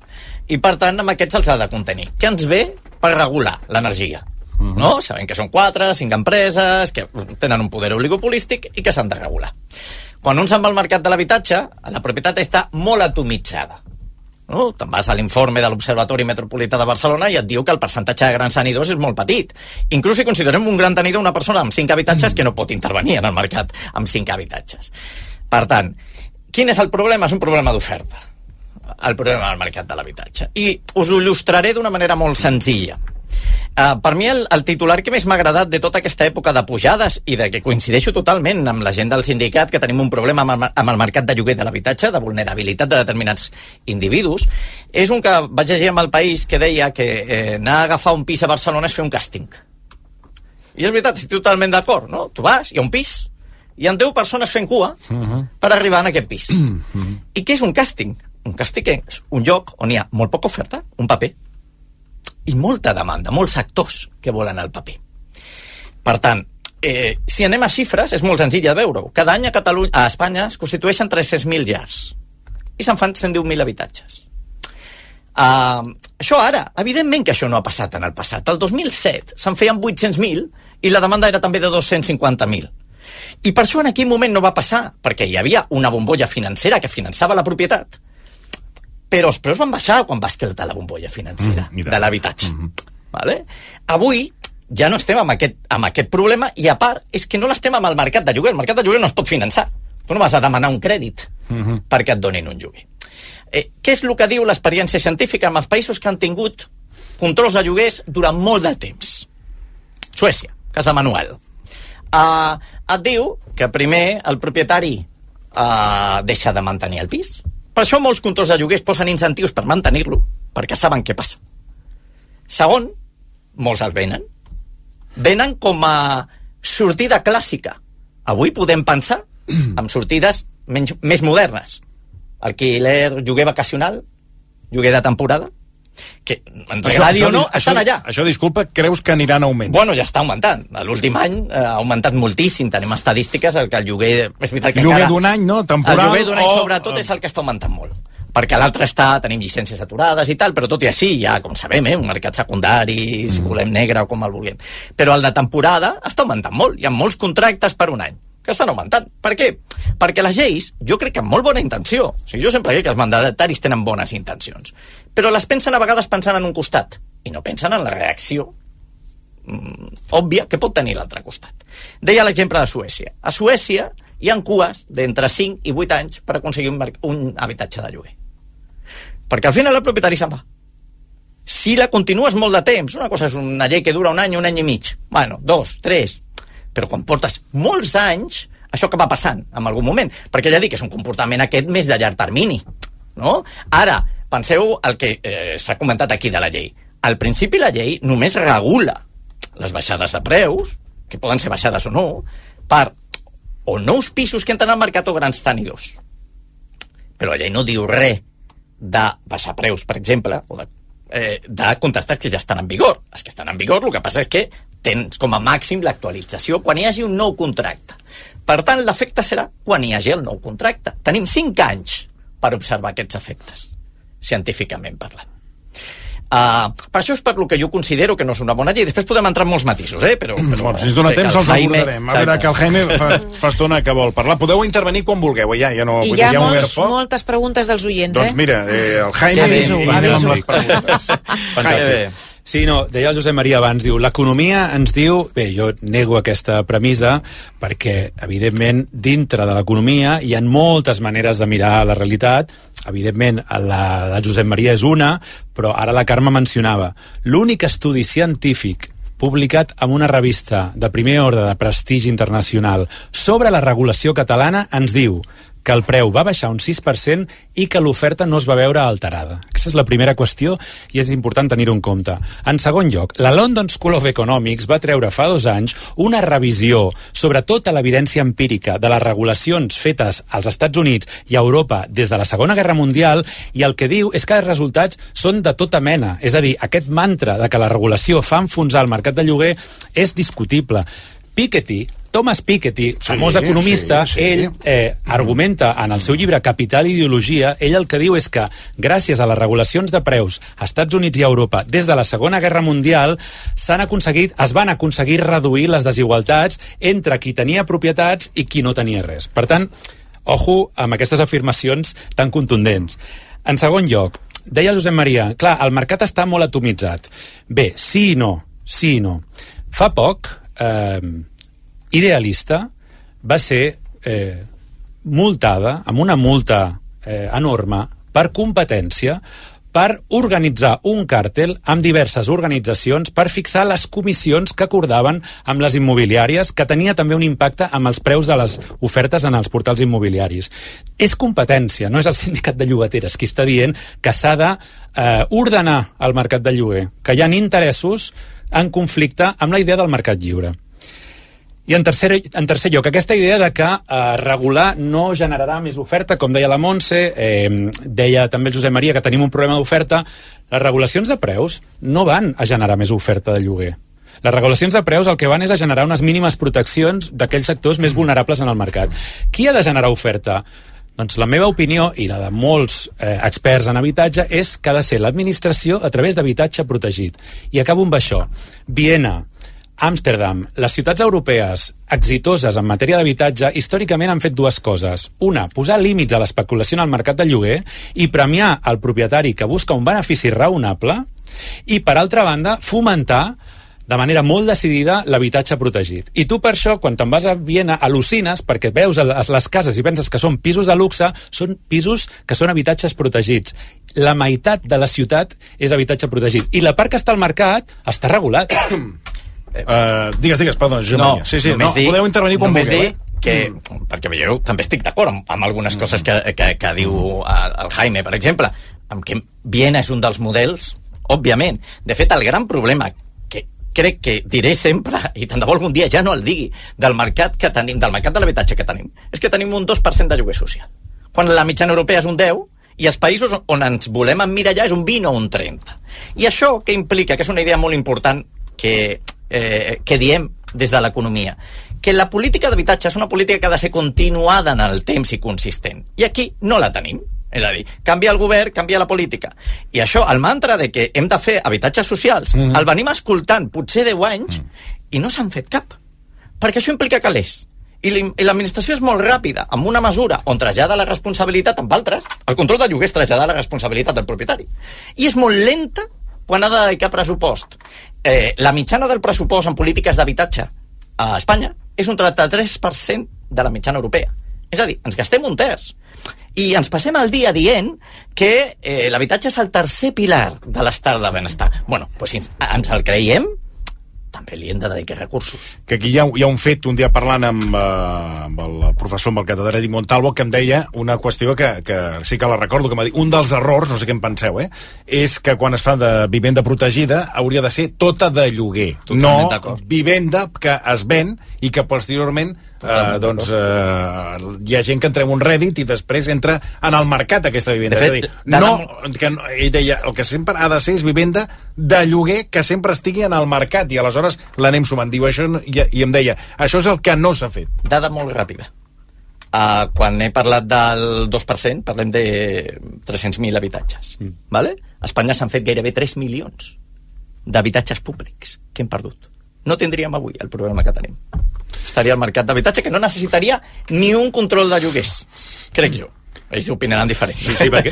i per tant amb aquests els ha de contenir. Què ens ve per regular l'energia? No? Sabem que són 4, 5 empreses que tenen un poder oligopolístic i que s'han de regular. Quan un se'n va al mercat de l'habitatge, la propietat està molt atomitzada. No? Te'n vas a l'informe de l'Observatori Metropolità de Barcelona i et diu que el percentatge de grans tenidors és molt petit. Inclús si considerem un gran tenidor una persona amb 5 habitatges que no pot intervenir en el mercat amb 5 habitatges. Per tant, quin és el problema? És un problema d'oferta, el problema del mercat de l'habitatge. I us ho il·lustraré d'una manera molt senzilla. Per mi el titular que més m'ha agradat de tota aquesta època de pujades, i de que coincideixo totalment amb la gent del sindicat, que tenim un problema amb el mercat de lloguer de l'habitatge, de vulnerabilitat de determinats individus, és un que vaig llegir amb El País, que deia que anar a agafar un pis a Barcelona és fer un càsting. I és veritat, estic totalment d'acord, no? Tu vas, hi ha un pis, hi ha 10 persones fent cua per arribar a aquest pis. I què és un càsting? Un càsting és un lloc on hi ha molt poca oferta, un paper, i molta demanda, molts actors que volen el paper. Per tant, si anem a xifres, és molt senzill de veure-ho. Cada any a Espanya es constitueixen 300.000 llars i se'n fan 110.000 habitatges. Això ara, evidentment que això no ha passat en el passat. El 2007 se'n feien 800.000 i la demanda era també de 250.000. I per això en aquell moment no va passar, perquè hi havia una bombolla financera que finançava la propietat, però els preus van baixar quan va esclatar la bombolla financera de l'habitatge. Vale? Avui ja no estem amb aquest problema, i a part és que no l'estem amb el mercat de lloguer. El mercat de lloguer no es pot finançar. Tu no vas a demanar un crèdit perquè et donin un lloguer. Què és el que diu l'experiència científica amb els països que han tingut controls de lloguers durant molt de temps? Suècia, casa Manuel. Et diu que primer el propietari deixa de mantenir el pis. Per això molts controls de lloguers posen incentius per mantenir-lo, perquè saben què passa. Segon, molts els venen. Venen com a sortida clàssica. Avui podem pensar en sortides més modernes. Alquiler, lloguer vacacional, lloguer de temporada, que ens agradi o no, estan allà. Això, disculpa, creus que aniran a augment? Bueno, ja està augmentant. L'últim any ha augmentat moltíssim. Tenim estadístiques que el lloguer... És veritat que lloguer d'un any, no? Temporal, el lloguer d'un any, sobretot, és el que està augmentant molt. Perquè l'altre tenim llicències aturades i tal, però tot i així hi ha, com sabem, un mercat secundari, si volem negre o com el vulguem. Però el de temporada està augmentant molt. Hi ha molts contractes per un any que estan augmentant. Per què? Perquè les lleis, jo crec que amb molt bona intenció, o sigui, jo sempre crec que els mandataris tenen bones intencions, però les pensen a vegades pensant en un costat i no pensen en la reacció òbvia que pot tenir l'altre costat. Deia l'exemple de Suècia. A Suècia hi ha cues d'entre 5 i 8 anys per aconseguir un habitatge de lloguer. Perquè al final el propietari se'n va. Si la continues molt de temps, una cosa és una llei que dura un any i mig, bueno, 2, 3, però quan portes molts anys, això que va passant en algun moment, perquè ja dic que és un comportament aquest més de llarg termini, no? Ara, penseu el que s'ha comentat aquí de la llei. Al principi la llei només regula les baixades de preus, que poden ser baixades o no, per o nous pisos que entren al mercat o grans tenidors. Però la llei no diu res de baixar preus, per exemple, o de contractes que ja estan en vigor. Els que estan en vigor, el que passa és que tens com a màxim l'actualització quan hi hagi un nou contracte. Per tant, l'efecte serà quan hi hagi el nou contracte. Tenim 5 anys per observar aquests efectes, científicament parlant. Per això és per lo que jo considero que no és una bona llei. Després podem entrar en molts matisos, però bueno, si ens dona temps els abordarem. A veure, que el Jaime fa estona que vol parlar. Podeu intervenir quan vulgueu, ja no. I hi ha moltes preguntes dels oients, Doncs mira, el Jaime amb les preguntes. Fantàstic. Sí, no, deia el Josep Maria abans, diu, l'economia ens diu... Bé, jo nego aquesta premissa perquè, evidentment, dintre de l'economia hi ha moltes maneres de mirar la realitat. Evidentment, la de Josep Maria és una, però ara la Carme mencionava. L'únic estudi científic publicat en una revista de primer ordre de prestigi internacional sobre la regulació catalana ens diu que el preu va baixar un 6% i que l'oferta no es va veure alterada. Aquesta és la primera qüestió i és important tenir-ho en compte. En segon lloc, la London School of Economics va treure fa 2 anys una revisió sobre tota l'evidència empírica de les regulacions fetes als Estats Units i a Europa des de la Segona Guerra Mundial, i el que diu és que els resultats són de tota mena. És a dir, aquest mantra de que la regulació fa enfonsar el mercat de lloguer és discutible. Thomas Piketty, famós economista, ell argumenta en el seu llibre Capital i Ideologia, ell el que diu és que gràcies a les regulacions de preus als Estats Units i a Europa des de la Segona Guerra Mundial es van aconseguir reduir les desigualtats entre qui tenia propietats i qui no tenia res. Per tant, ojo amb aquestes afirmacions tan contundents. En segon lloc, deia Josep Maria, clar, el mercat està molt atomitzat. Bé, sí i no. Fa poc, Idealista va ser multada amb una multa enorme per competència per organitzar un càrtel amb diverses organitzacions per fixar les comissions que acordaven amb les immobiliàries, que tenia també un impacte amb els preus de les ofertes en els portals immobiliaris. És competència, no és el sindicat de llogateres qui està dient que s'ha d'ordenar el mercat de lloguer, que hi ha interessos en conflicte amb la idea del mercat lliure. I en tercer lloc, aquesta idea de que regular no generarà més oferta, com deia la Montse, deia també el Josep Maria que tenim un problema d'oferta. Les regulacions de preus no van a generar més oferta de lloguer. Les regulacions de preus el que van és a generar unes mínimes proteccions d'aquells sectors més vulnerables en el mercat. Qui ha de generar oferta? Doncs la meva opinió, i la de molts experts en habitatge, és que ha de ser l'administració a través d'habitatge protegit. I acabo amb això. Viena, Amsterdam, les ciutats europees exitoses en matèria d'habitatge històricament han fet 2 coses. Una, posar límits a l'especulació en el mercat de lloguer i premiar el propietari que busca un benefici raonable, i per altra banda, fomentar de manera molt decidida l'habitatge protegit. I tu per això, quan te'n vas a Viena, al·lucines perquè veus les cases i penses que són pisos de luxe, són pisos que són habitatges protegits. La meitat de la ciutat és habitatge protegit. I la part que està al mercat està regulat. Digues, perdó, Josep Maria. Sí, podeu intervenir quan vulgueu. Perquè veieu, també estic d'acord amb algunes coses que diu el Jaime, per exemple, amb que Viena és un dels models, òbviament. De fet, el gran problema que crec que diré sempre, i tant de bo algun dia ja no el digui, del mercat que tenim, del mercat de l'habitatge que tenim, és que tenim un 2% de lloguer social. Quan la mitjana europea és un 10%, i els països on ens volem emmirallar és un 20 o un 30. I això què implica? Que és una idea molt important que diem des de l'economia, que la política d'habitatge és una política que ha de ser continuada en el temps i consistent, i aquí no la tenim. És a dir, canvia el govern, canvia la política. I això, el mantra de que hem de fer habitatges socials, el venim escoltant potser 10 anys i no s'han fet cap, perquè això implica calés. I l'administració és molt ràpida, amb una mesura on trasllada la responsabilitat amb altres, el control de lloguer és traslladar la responsabilitat del propietari, i és molt lenta quan ha de dedicar pressupost. La mitjana del pressupost en polítiques d'habitatge a Espanya és un 33% de la mitjana europea. És a dir, ens gastem un terç. I ens passem el dia dient que l'habitatge és el tercer pilar de l'estat del benestar. Bueno, doncs si ens el creiem, també li hem de dedicar recursos. Que aquí hi ha un fet, un dia parlant amb el professor, amb el catedràtic Montalvo, que em deia una qüestió que sí que la recordo, que m'ha dit, un dels errors, no sé què en penseu, és que quan es fa de vivenda protegida hauria de ser tota de lloguer. Totalment no vivenda que es ven i que posteriorment hi ha gent que entra en un rèdit i després entra en el mercat aquesta vivenda. És a dir, ell deia, el que sempre ha de ser és vivenda de lloguer que sempre estigui en el mercat, i aleshores l'anem sumant. Diu això, i em deia, això és el que no s'ha fet. Dada molt ràpida. quan he parlat del 2%, parlem de 300.000 habitatges. Vale? A Espanya s'han fet gairebé 3 milions d'habitatges públics que hem perdut. No tindríem avui el problema que tenim. Estaria el mercat d'habitatge que no necessitaria ni un control de lloguers, crec jo. Ells opinaran diferent. Sí, perquè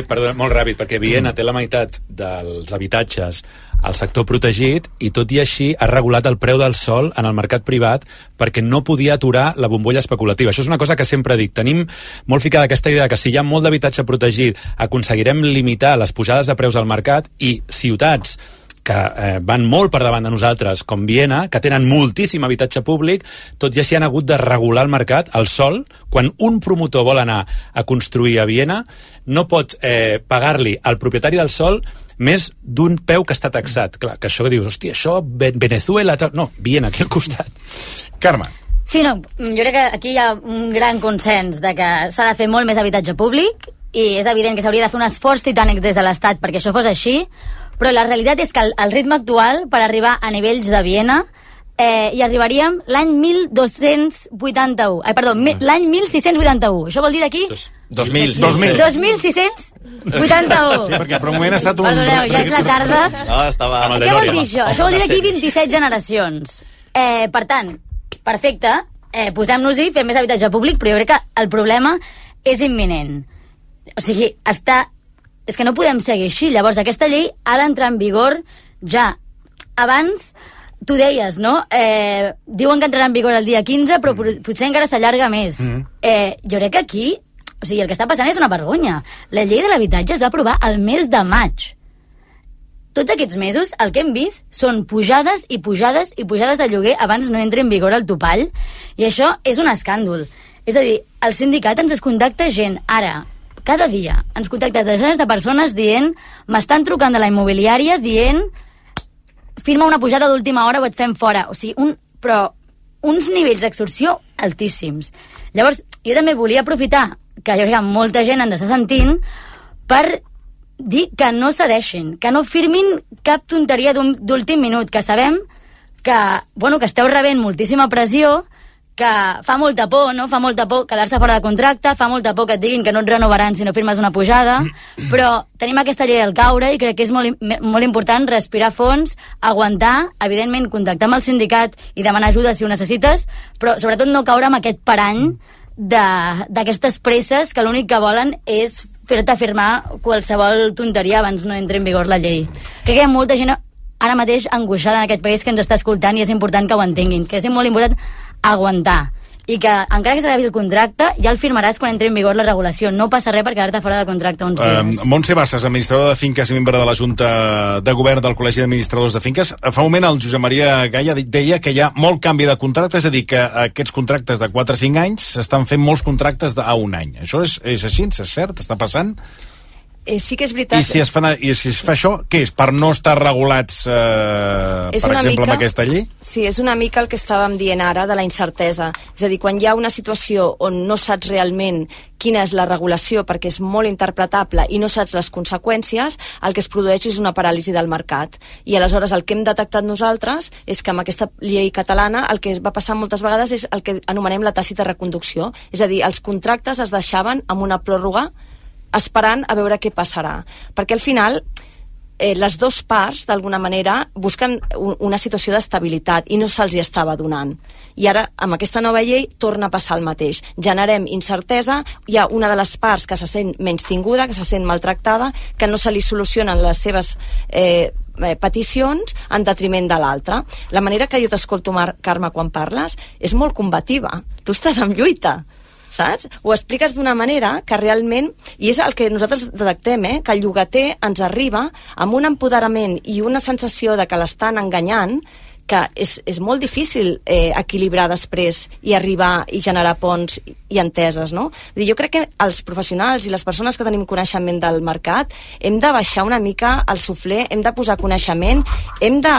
perdona, molt ràpid, perquè Viena té la meitat dels habitatges al sector protegit i tot i així ha regulat el preu del sòl en el mercat privat perquè no podia aturar la bombolla especulativa. Això és una cosa que sempre dic. Tenim molt ficada aquesta idea que si hi ha molt d'habitatge protegit aconseguirem limitar les pujades de preus al mercat i ciutats que van molt per davant de nosaltres, com Viena, que tenen moltíssim habitatge públic, tot i així han hagut de regular el mercat, el sòl. Quan un promotor vol anar a construir a Viena, no pot pagar-li al propietari del sòl més d'un peu que està taxat. Clar, que això que dius, hòstia, això, Venezuela... No, Viena, aquí al costat. Carme. Sí, no, jo crec que aquí hi ha un gran consens de que s'ha de fer molt més habitatge públic i és evident que s'hauria de fer un esforç titànic des de l'Estat perquè això fos així, però la realitat és que el ritme actual per arribar a nivells de Viena hi arribaríem l'any 1281. L'any 1681. Això vol dir d'aquí? 2681. Sí, perquè per un moment ha estat un... Perdoneu, ja és la tarda. No, estava... Què vol dir això? Això vol dir d'aquí 27 generacions. Per tant, perfecte, posem-nos-hi, fem més habitatge públic, però jo crec que el problema és imminent. O sigui, és que no podem seguir així. Llavors, aquesta llei ha d'entrar en vigor ja. Abans, tu deies, no? Diuen que entrarà en vigor el dia 15, però potser encara s'allarga més. Jo crec que aquí, o sigui, el que està passant és una vergonya. La llei de l'habitatge es va aprovar el mes de maig. Tots aquests mesos, el que hem vist són pujades i pujades i pujades de lloguer abans no entri en vigor el topall, i això és un escàndol. És a dir, el sindicat ens contacta gent, ara, cada dia ens contacta desenes de persones dient, m'estan trucant de la immobiliària dient, firma una pujada d'última hora o et fem fora. O sigui, però uns nivells d'extorsió altíssims. Llavors, jo també volia aprofitar que jo crec que molta gent ens està sentint per dir que no cedeixin, que no firmin cap tonteria d'últim minut, que sabem que, bueno, que esteu rebent moltíssima pressió, que fa molta por, no? Fa molta por quedar-se fora de contracte, fa molta por que et diguin que no et renovaran si no firmes una pujada, però tenim aquesta llei al caure i crec que és molt important respirar fons, aguantar, evidentment contactar amb el sindicat i demanar ajuda si ho necessites, però sobretot no caure amb aquest parany d'aquestes presses que l'únic que volen és fer-te firmar qualsevol tonteria abans no entri en vigor la llei. Crec que hi ha molta gent ara mateix angoixada en aquest país que ens està escoltant i és important que ho entenguin, que és molt important aguantar i que encara que s'acabi el contracte ja el firmaràs quan entri en vigor la regulació, no passa res per quedar-te fora de contracte uns dies. Montse Bassas, administradora de finques i membre de la Junta de Govern del Col·legi d'Administradors de Finques. Fa un moment el Josep Maria Gaia deia que hi ha molt canvi de contracte, és a dir, que aquests contractes de 4 o 5 anys s'estan fent molts contractes a un any. Això és així? És cert? Està passant? Sí que és veritat. I si es fa això, què és? Per no estar regulats, per exemple, amb aquesta llei? Sí, és una mica el que estàvem dient ara de la incertesa. És a dir, quan hi ha una situació on no saps realment quina és la regulació perquè és molt interpretable i no saps les conseqüències, el que es produeix és una paràlisi del mercat. I aleshores el que hem detectat nosaltres és que amb aquesta llei catalana el que va passar moltes vegades és el que anomenem la tàcita reconducció. És a dir, els contractes es deixaven amb una pròrroga esperant a veure què passarà. Perquè al final les dues parts, d'alguna manera, busquen una situació d'estabilitat i no se'ls hi estava donant. I ara, amb aquesta nova llei, torna a passar el mateix. Generem incertesa, hi ha una de les parts que se sent menystinguda, que se sent maltractada, que no se li solucionen les seves peticions en detriment de l'altra. La manera que jo t'escolto, Carme, quan parles, és molt combativa. Tu estàs en lluita, saps? Ho expliques d'una manera que realment, i és el que nosaltres detectem, que el llogater ens arriba amb un empoderament i una sensació de que l'estan enganyant, que és molt difícil equilibrar després i arribar i generar ponts i enteses, no? Jo crec que els professionals i les persones que tenim coneixement del mercat hem de baixar una mica el suflé, hem de posar coneixement, hem de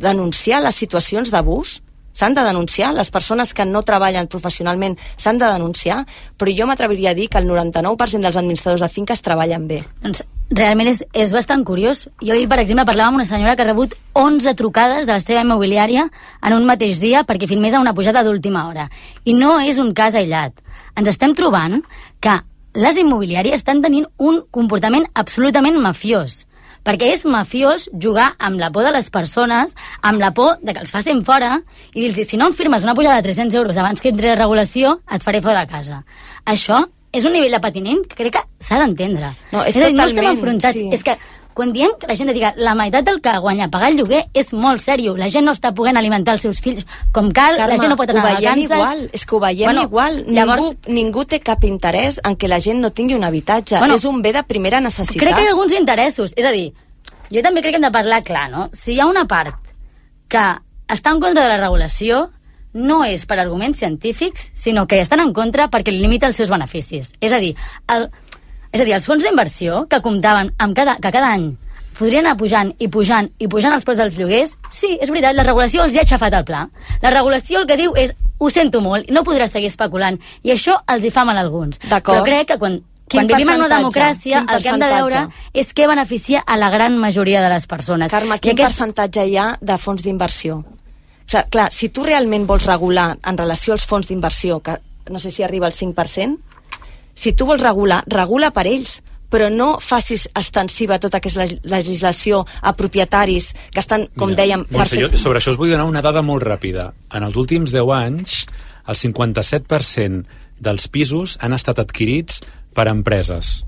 denunciar les situacions d'abús, s'han de denunciar, les persones que no treballen professionalment s'han de denunciar, però jo m'atreviria a dir que el 99% dels administradors de finques treballen bé. Doncs realment és bastant curiós. Jo ahir, per exemple, parlava amb una senyora que ha rebut 11 trucades de la seva immobiliària en un mateix dia perquè firmés una pujada d'última hora. I no és un cas aïllat. Ens estem trobant que les immobiliàries estan tenint un comportament absolutament mafiós. Perquè és mafiós jugar amb la por de les persones, amb la por de que els facin fora, i dir-los, si no em firmes una pujada de 300 euros abans que entri la regulació, et faré fora de casa. Això és un nivell de patiment que crec que s'ha d'entendre. No, és totalment, no estem totalment, enfrontats. sí. És que quan diem que la gent diga la meitat del que guanya pagar el lloguer és molt seriós. La gent no està podent alimentar els seus fills com cal, Carme, la gent no pot anar a vacances. Igual, és que ho veiem igual. Llavors, ningú té cap interès en que la gent no tingui un habitatge. És un bé de primera necessitat. crec que hi ha alguns interessos. És a dir, jo també crec que hem de parlar clar, no? Si hi ha una part que està en contra de la regulació, no és per arguments científics, sinó que estan en contra perquè limita els seus beneficis. És a dir, els fons d'inversió que comptaven amb que cada any podrien anar pujant i pujant i pujant els preus dels lloguers, sí, és veritat, la regulació els hi ha aixafat el pla. La regulació el que diu és, ho sento molt, no podràs seguir especulant, i això els hi fa mal a alguns. Però crec que quan vivim en una democràcia, el que hem de veure és què beneficia a la gran majoria de les persones. Carme, quin percentatge hi ha de fons d'inversió? O sigui, clar, si tu realment vols regular en relació als fons d'inversió, que no sé si arriba al 5%, si tu vols regular, regula per ells, però no facis extensiva tota aquesta legislació a propietaris que estan, com dèiem... Sobre això us vull donar una dada molt ràpida. En els últims 10 anys, el 57% dels pisos han estat adquirits per empreses.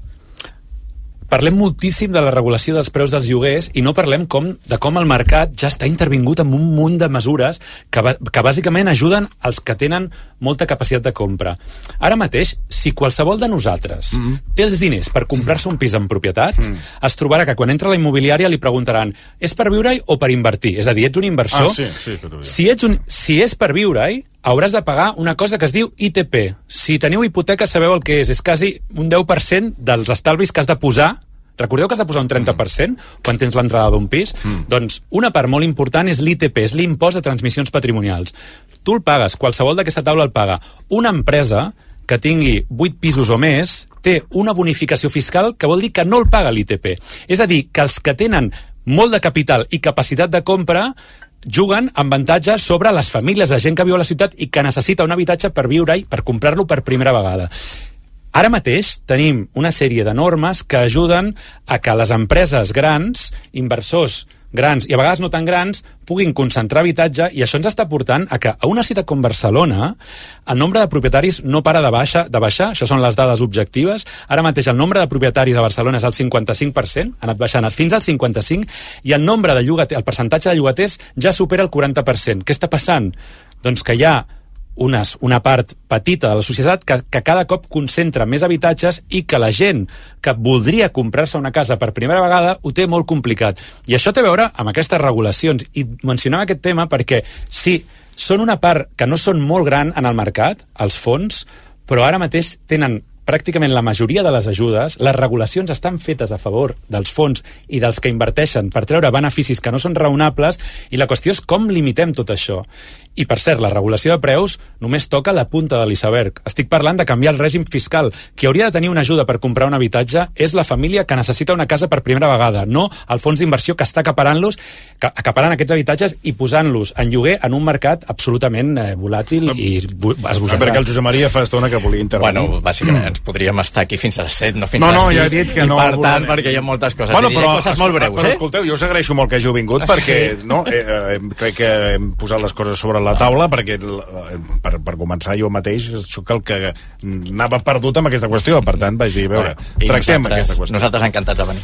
Parlem moltíssim de la regulació dels preus dels lloguers i no parlem de com el mercat ja està intervingut amb un munt de mesures que bàsicament ajuden els que tenen molta capacitat de compra. Ara mateix, si qualsevol de nosaltres té els diners per comprar-se un pis en propietat, es trobarà que quan entra a la immobiliària li preguntaran, és per viure-hi o per invertir? És a dir, ets un inversor? Si és per viure-hi, hauràs de pagar una cosa que es diu ITP. Si teniu hipoteca sabeu el que és quasi un 10% dels estalvis que has de posar. Recordeu que has de posar un 30% quan tens l'entrada d'un pis? Doncs una part molt important és l'ITP, és l'impost de transmissions patrimonials. Tu el pagues, qualsevol d'aquesta taula el paga. Una empresa que tingui 8 pisos o més té una bonificació fiscal que vol dir que no el paga l'ITP. És a dir, que els que tenen molt de capital i capacitat de compra juguen amb avantatge sobre les famílies, la gent que viu a la ciutat i que necessita un habitatge per viure-hi, per comprar-lo per primera vegada. Ara mateix tenim una sèrie de normes que ajuden a que les empreses grans, inversors grans i a vegades no tan grans, puguin concentrar habitatge, i això ens està portant a que a una ciutat com Barcelona el nombre de propietaris no para de baixar, això són les dades objectives. Ara mateix el nombre de propietaris a Barcelona és el 55%, ha anat baixant fins al 55%, i el nombre de el percentatge de llogaters ja supera el 40%. Què està passant? Doncs que hi ha una part petita de la societat que cada cop concentra més habitatges i que la gent que voldria comprar-se una casa per primera vegada ho té molt complicat. I això té a veure amb aquestes regulacions. I mencionava aquest tema perquè sí, són una part que no són molt gran en el mercat, els fons, però ara mateix tenen pràcticament la majoria de les ajudes, les regulacions estan fetes a favor dels fons i dels que inverteixen per treure beneficis que no són raonables, i la qüestió és com limitem tot això. I, per cert, la regulació de preus només toca la punta de l'iceberg. Estic parlant de canviar el règim fiscal. Qui hauria de tenir una ajuda per comprar un habitatge és la família que necessita una casa per primera vegada, no el fons d'inversió que està acaparant aquests habitatges i posant-los en lloguer en un mercat absolutament volàtil i esbossat. Perquè el Josep Maria fa estona que volia intervenir. Bueno, bàsicament ens podríem estar aquí fins a les 7, no fins a les 6. No, ja he dit que no. I per tant, perquè hi ha moltes coses. Bueno, diré coses molt breus, però escolteu, jo us agraeixo molt que hàgiu vingut perquè crec que hem posat les coses sobre la taula, perquè per començar jo mateix soc el que anava perdut amb aquesta qüestió, per tant vaig dir, a veure, tractem aquesta qüestió. Nosaltres encantats de venir.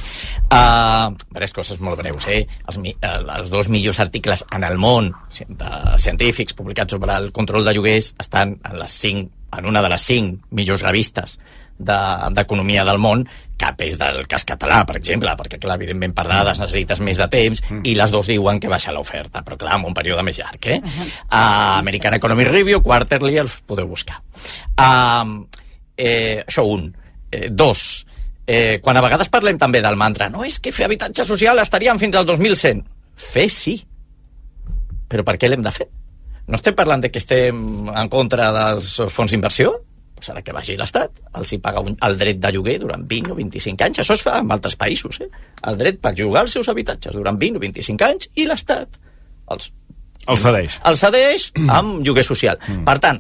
Diverses coses molt breus, els 2 millors articles en el món científics publicats sobre el control de lloguers estan en una de les 5 millors revistes d'economia del món. Cap és del cas català, per exemple, perquè, clar, evidentment per dades necessites més de temps, i les dos diuen que baixa l'oferta, però, clar, en un període més llarg, American Economic Review, Quarterly, els podeu buscar. Això un. Dos, quan a vegades parlem també del mantra, no, és que fer habitatge social estaríem fins al 2100. Fer sí. Però per què l'hem de fer? no estem parlant de que estem en contra dels fons d'inversió, doncs ara que vagi l'Estat, els hi paga el dret de lloguer durant 20 o 25 anys. Això es fa en altres països, el dret per llogar els seus habitatges durant 20 o 25 anys i l'Estat els cedeix. El cedeix amb lloguer social. Per tant,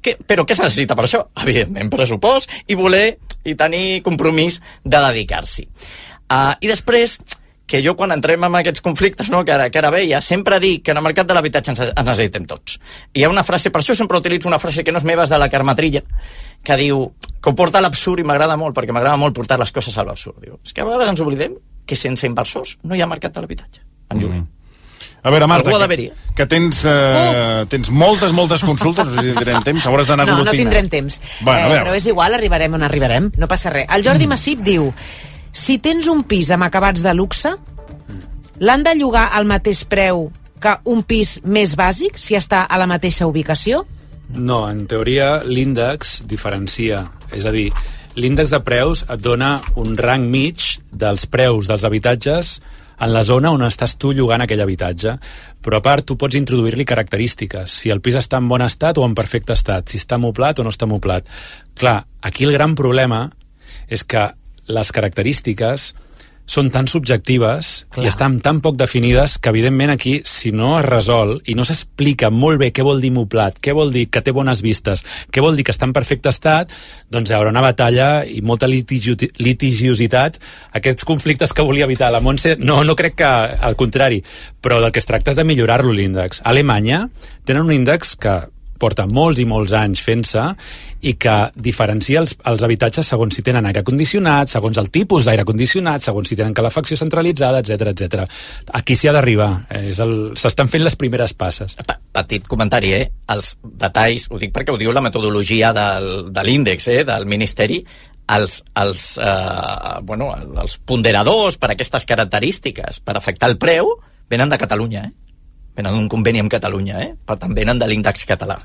però què es necessita per això? Evidentment, pressupost i voler i tenir compromís de dedicar-s'hi. I després, que jo quan entrem en aquests conflictes, no, que ara veia, sempre dic que en el mercat de l'habitatge ens necessitem tots. I hi ha una frase, per això sempre utilitzo una frase que no és meva, és de la Carme Trilla, que diu, que ho porta a l'absurd i m'agrada molt, perquè m'agrada molt portar les coses a l'absurd. Diu, és que a vegades ens oblidem que sense inversors no hi ha mercat de l'habitatge. En lloguer. A veure, Marta, que tens moltes consultes, no sé si tindrem temps, hauràs d'anar no tindrem temps, però és igual, arribarem on arribarem, no passa res. El Jordi Massip diu, si tens un pis amb acabats de luxe, l'han de llogar al mateix preu que un pis més bàsic, si està a la mateixa ubicació? No, en teoria l'índex diferencia, és a dir, l'índex de preus et dona un rang mig dels preus dels habitatges en la zona on estàs tu llogant aquell habitatge. Però a part, tu pots introduir-li característiques. Si el pis està en bon estat o en perfecte estat, si està moblat o no està moblat. Clar, aquí el gran problema és que les característiques són tan subjectives i estan tan poc definides que, evidentment, aquí, si no es resol i no s'explica molt bé què vol dir moblat, què vol dir que té bones vistes, què vol dir que està en perfecte estat, doncs hi haurà una batalla i molta litigiositat. Aquests conflictes que volia evitar la Montse, no crec que al contrari, però del que es tracta és de millorar-lo l'índex. A Alemanya tenen un índex que porta molts i molts anys fent-se i que diferencia els habitatges segons si tenen aire condicionat, segons el tipus d'aire condicionat, segons si tenen calefacció centralitzada, etc. Aquí s'hi ha d'arribar. S'estan fent les primeres passes. Petit comentari, els detalls, ho dic perquè ho diu la metodologia de l'índex, del Ministeri, els ponderadors per aquestes característiques, per afectar el preu, venen de Catalunya, venen d'un conveni amb Catalunya, per tant venen de l'índex català.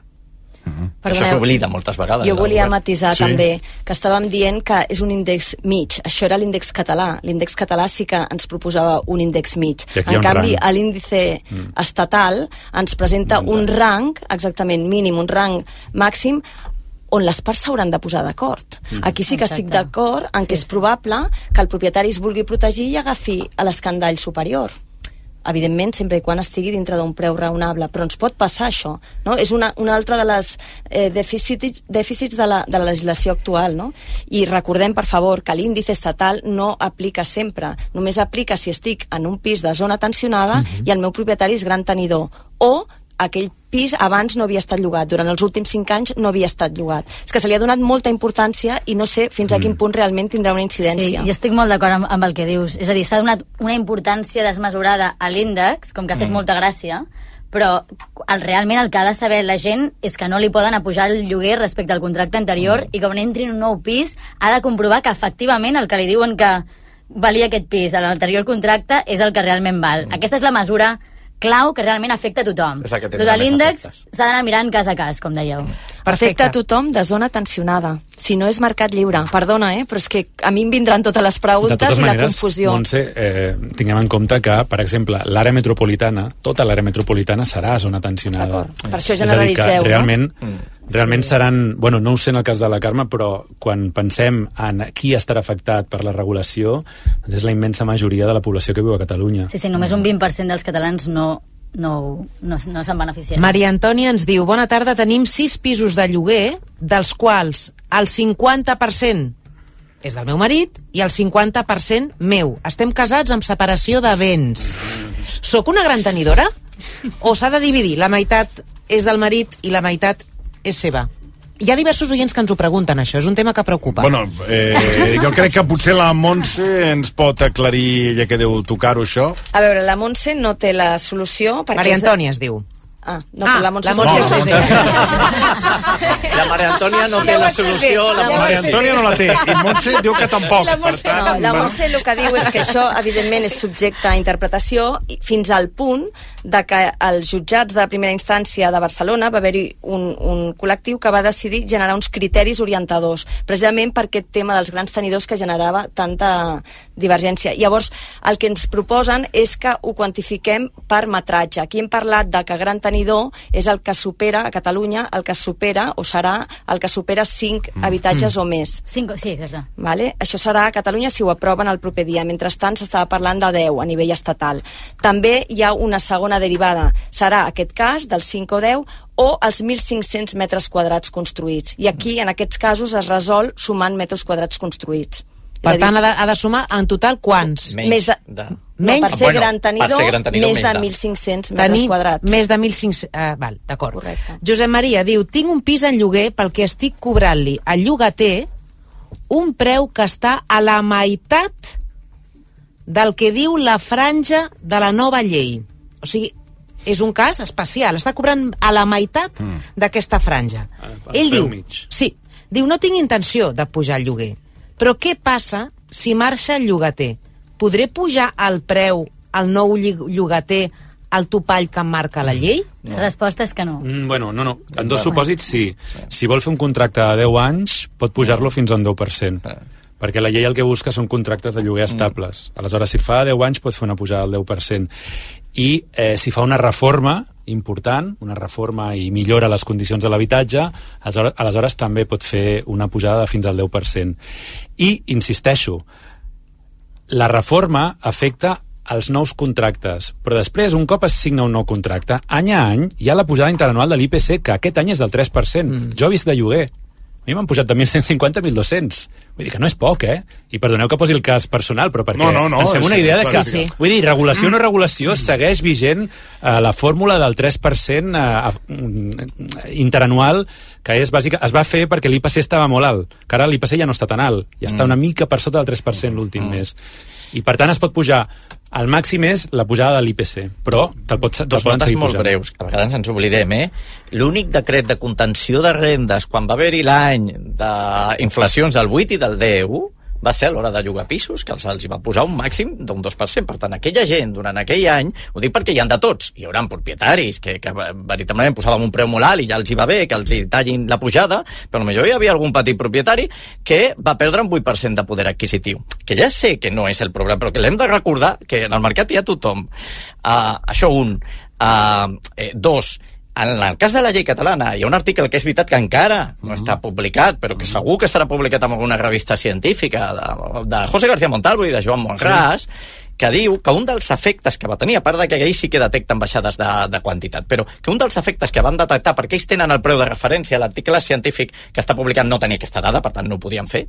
Això s'oblida moltes vegades. Jo volia matisar també que estàvem dient que és un índex mig. Això era l'índex català. L'índex català sí que ens proposava un índex mig. En canvi, l'índice estatal ens presenta un rang, exactament mínim, un rang màxim, on les parts s'hauran de posar d'acord. Aquí sí que estic d'acord en que és probable que el propietari es vulgui protegir i agafi a l'escandall superior. Evidentment, sempre i quan estigui dintre d'un preu raonable, però ens pot passar això, no? És una altra de les dèficits de la legislació actual, no? I recordem, per favor, que l'índice estatal no aplica sempre, només aplica si estic en un pis de zona tensionada i el meu propietari és gran tenidor, o aquell pis abans no havia estat llogat, durant els últims 5 anys no havia estat llogat. És que se li ha donat molta importància i no sé fins a quin punt realment tindrà una incidència. Sí, jo estic molt d'acord amb el que dius. És a dir, s'ha donat una importància desmesurada a l'índex, com que ha fet molta gràcia, però realment el que ha de saber la gent és que no li poden apujar el lloguer respecte al contracte anterior i que quan entri en un nou pis ha de comprovar que efectivament el que li diuen que valia aquest pis a l'anterior contracte és el que realment val. Aquesta és la mesura clau que realment afecta a tothom. Però de l'índex s'ha d'anar mirant cas a cas, com dèieu. Afecta a tothom de zona tensionada. Si no és mercat lliure. Perdona, però és que a mi em vindran totes les preguntes i la confusió. Montse, tinguem en compte que, per exemple, l'àrea metropolitana, tota l'àrea metropolitana serà zona tensionada. Per això generalitzeu, realment seran... Bueno, no ho sé en el cas de la Carme, però quan pensem en qui estarà afectat per la regulació, és la immensa majoria de la població que viu a Catalunya. Sí, només un 20% dels catalans no se'n beneficien. Maria Antònia ens diu: bona tarda, tenim 6 pisos de lloguer, dels quals el 50% és del meu marit i el 50% meu. Estem casats amb separació de béns. Soc una gran tenidora? O s'ha de dividir? La meitat és del marit i la meitat és seva. Hi ha diversos oients que ens ho pregunten, això. És un tema que preocupa. Bueno, jo crec que potser la Montse ens pot aclarir, ja que deu tocar-ho, això. A veure, la Montse no té la solució... Maria Antònia es diu. Però la Montse... La Maria Antònia no té la solució. La Maria Antònia no la té, i Montse diu que tampoc. La Montse el que diu és que això, evidentment, és subjecte a interpretació fins al punt de que els jutjats de primera instància de Barcelona va haver-hi un col·lectiu que va decidir generar uns criteris orientadors, precisament per aquest tema dels grans tenidors que generava tanta divergència. Llavors, el que ens proposen és que ho quantifiquem per metratge. Aquí hem parlat de que gran tenidor tenidor és el que supera, a Catalunya, el que supera, o serà el que supera 5 habitatges o més. 5, sí, exacte. Vale? Això serà a Catalunya si ho aproven el proper dia. Mentrestant s'estava parlant de 10 a nivell estatal. També hi ha una segona derivada. Serà aquest cas dels 5 o 10 o els 1.500 metres quadrats construïts. I aquí, en aquests casos, es resol sumant metres quadrats construïts. Per tant, ha de sumar en total quants? Menys per ser gran tenidor, més de 1.500 metres quadrats. Més de 1.500... val, d'acord. Josep Maria diu, tinc un pis en lloguer pel que estic cobrant-li al llogater un preu que està a la meitat del que diu la franja de la nova llei. O sigui, és un cas especial. Està cobrant a la meitat d'aquesta franja. Ell diu, diu, no tinc intenció de pujar el lloguer. Però què passa si marxa el llogater? Podré pujar el preu al nou llogater al topall que em marca la llei? La resposta és que no. Bueno, no. En dos supòsits, sí. Si vol fer un contracte de 10 anys, pot pujar-lo fins a un 10%. Perquè la llei el que busca són contractes de lloguer estables. Aleshores, si fa 10 anys, pot fer una pujada del 10%. I si fa una reforma important, una reforma i millora les condicions de l'habitatge, aleshores també pot fer una pujada de fins al 10%. I, insisteixo, la reforma afecta els nous contractes, però després, un cop es signa un nou contracte, any a any hi ha la pujada interanual de l'IPC, que aquest any és del 3%. Jo he vist de lloguer. A mi m'han pujat de 1.150 a 1.200. Vull dir que no és poc, I perdoneu que posi el cas personal, però perquè ens fem una idea de que... Vull dir, regulació o no regulació, segueix vigent la fórmula del 3% interanual, que és bàsica, es va fer perquè l'IPC estava molt alt, que ara l'IPC ja no està tan alt, i està una mica per sota del 3% l'últim mes. I per tant es pot pujar. El màxim és la pujada de l'IPC, però te'l poden seguir pujant. 2 notes molt breus, que a vegades ens oblidem, L'únic decret de contenció de rendes, quan va haver-hi l'any d'inflacions del 8 i del 10, va ser a l'hora de llogar pisos, que els va posar un màxim d'un 2%. Per tant, aquella gent, durant aquell any, ho dic perquè hi ha de tots, hi haurà propietaris que veritablement posàvem un preu molt alt i ja els hi va bé que els hi tallin la pujada, però potser hi havia algun petit propietari que va perdre un 8% de poder adquisitiu. Que ja sé que no és el problema, però que l'hem de recordar que en el mercat hi ha tothom. Això un. Dos, en el cas de la llei catalana hi ha un article que és veritat que encara no està publicat, però que segur que estarà publicat en alguna revista científica de José García Montalvo i de Joan Monràs, que diu que un dels efectes que va tenir, a part de que ells sí que detecten baixades de quantitat, però que un dels efectes que van detectar, perquè ells tenen el preu de referència, l'article científic que està publicat no tenia aquesta dada, per tant no ho podien fer,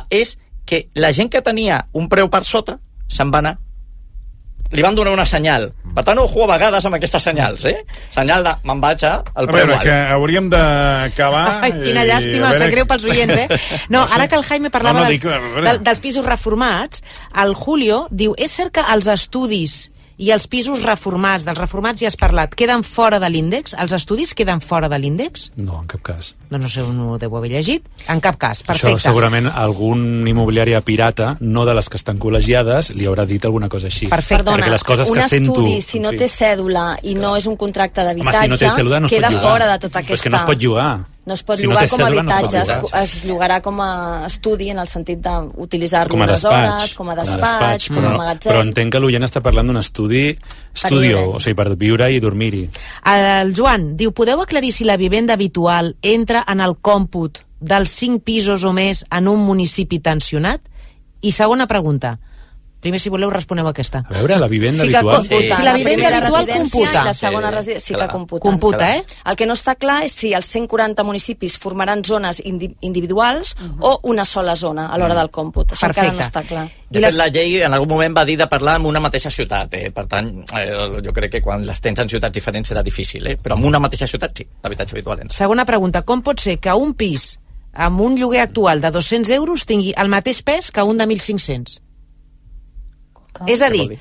és que la gent que tenia un preu per sota se'n va anar. Li van donar una senyal. Per tant, ojo a vegades amb aquestes senyals, Senyal de me'n vaig al preu alt. A veure, que hauríem d'acabar... Ai, quina llàstima, sap greu pels oients, No, ara que el Jaime parlava dels pisos reformats, el Julio diu, és cert que els estudis i els pisos reformats, dels reformats ja has parlat, queden fora de l'índex? Els estudis queden fora de l'índex? No, en cap cas. No sé on ho deu haver llegit. En cap cas, perfecte. Això segurament algun immobiliària pirata, no de les que estan col·legiades, li haurà dit alguna cosa així. Perfecte. Perdona, les coses un que estudi, si no té cèdula i no és un contracte d'habitatge, si no té cèdula, no queda fora de tota aquesta... Però és que no es pot llogar. No es pot llogar com a habitatge, es llogarà com a estudi en el sentit d'utilitzar-lo unes hores, com a despatx, com a magatzem. Però entenc que l'oient està parlant d'un estudio, o sigui, per viure i dormir-hi. El Joan diu, podeu aclarir si la vivenda habitual entra en el còmput dels 5 pisos o més en un municipi tensionat? I segona pregunta, primer, si voleu, responeu aquesta. A veure, la vivenda habitual... Si la vivenda habitual computa. La segona residència sí que computa. Computa, El que no està clar és si els 140 municipis formaran zones individuals o una sola zona a l'hora del còmput. Això encara no està clar. De fet, la llei en algun moment va dir de parlar en una mateixa ciutat. Per tant, jo crec que quan les tens en ciutats diferents serà difícil, però en una mateixa ciutat sí, l'habitatge habitual entra. Segona pregunta, com pot ser que un pis amb un lloguer actual de 200 euros tingui el mateix pes que un de 1.500? És a dir,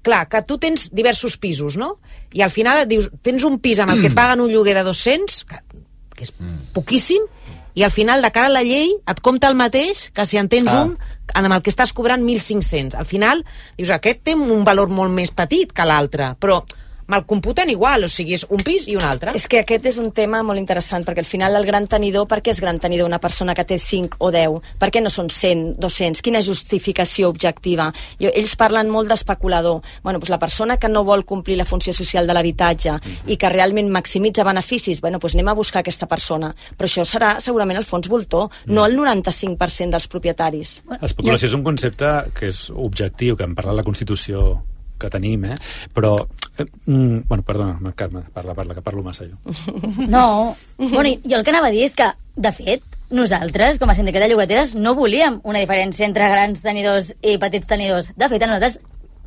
clar, que tu tens diversos pisos, no? I al final dius, tens un pis amb el que et paguen un lloguer de 200, que és poquíssim, i al final, de cara a la llei, et compta el mateix que si en tens un amb el que estàs cobrant 1.500. Al final, dius, aquest té un valor molt més petit que l'altre, però me'l computen igual, o sigui, és un pis i un altre. És que aquest és un tema molt interessant, perquè al final el gran tenidor, per què és gran tenidor una persona que té 5 o 10? Per què no són 100, 200? Quina justificació objectiva? Ells parlen molt d'especulador. Bueno, doncs la persona que no vol complir la funció social de l'habitatge i que realment maximitza beneficis, bueno, doncs anem a buscar aquesta persona. Però això serà segurament el fons voltor, no el 95% dels propietaris. L'especulació és un concepte que és objectiu, que en parla la Constitució que tenim, però... bueno, perdona, Carme, parla, que parlo massa jo. No, bueno, jo el que anava a dir és que, de fet, nosaltres, com a sindicat de llogateres, no volíem una diferència entre grans tenidors i petits tenidors. De fet, a nosaltres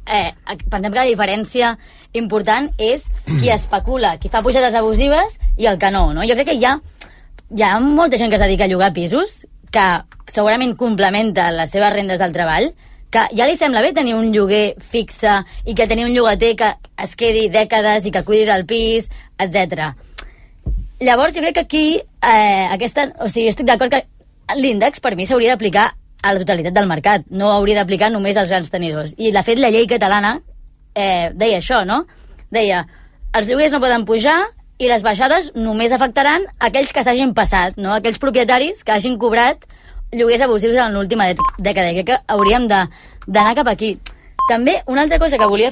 pensem que la diferència important és qui especula, qui fa pujades abusives i el que no, no? Jo crec que hi ha molta gent que es dedica a llogar pisos que segurament complementa les seves rendes del treball, que ja li sembla bé tenir un lloguer fixe i que tenir un llogater que es quedi dècades i que cuidi del pis, etc. Llavors, jo crec que aquí estic d'acord que l'índex per mi s'hauria d'aplicar a la totalitat del mercat, no hauria d'aplicar només als grans tenidors. I, de fet, la llei catalana deia això, no? Deia, els lloguers no poden pujar i les baixades només afectaran aquells que s'hagin passat, no? Aquells propietaris que hagin cobrat lloguers abusius en l'última dècada. Crec que hauríem d'anar cap aquí. També, una altra cosa que volia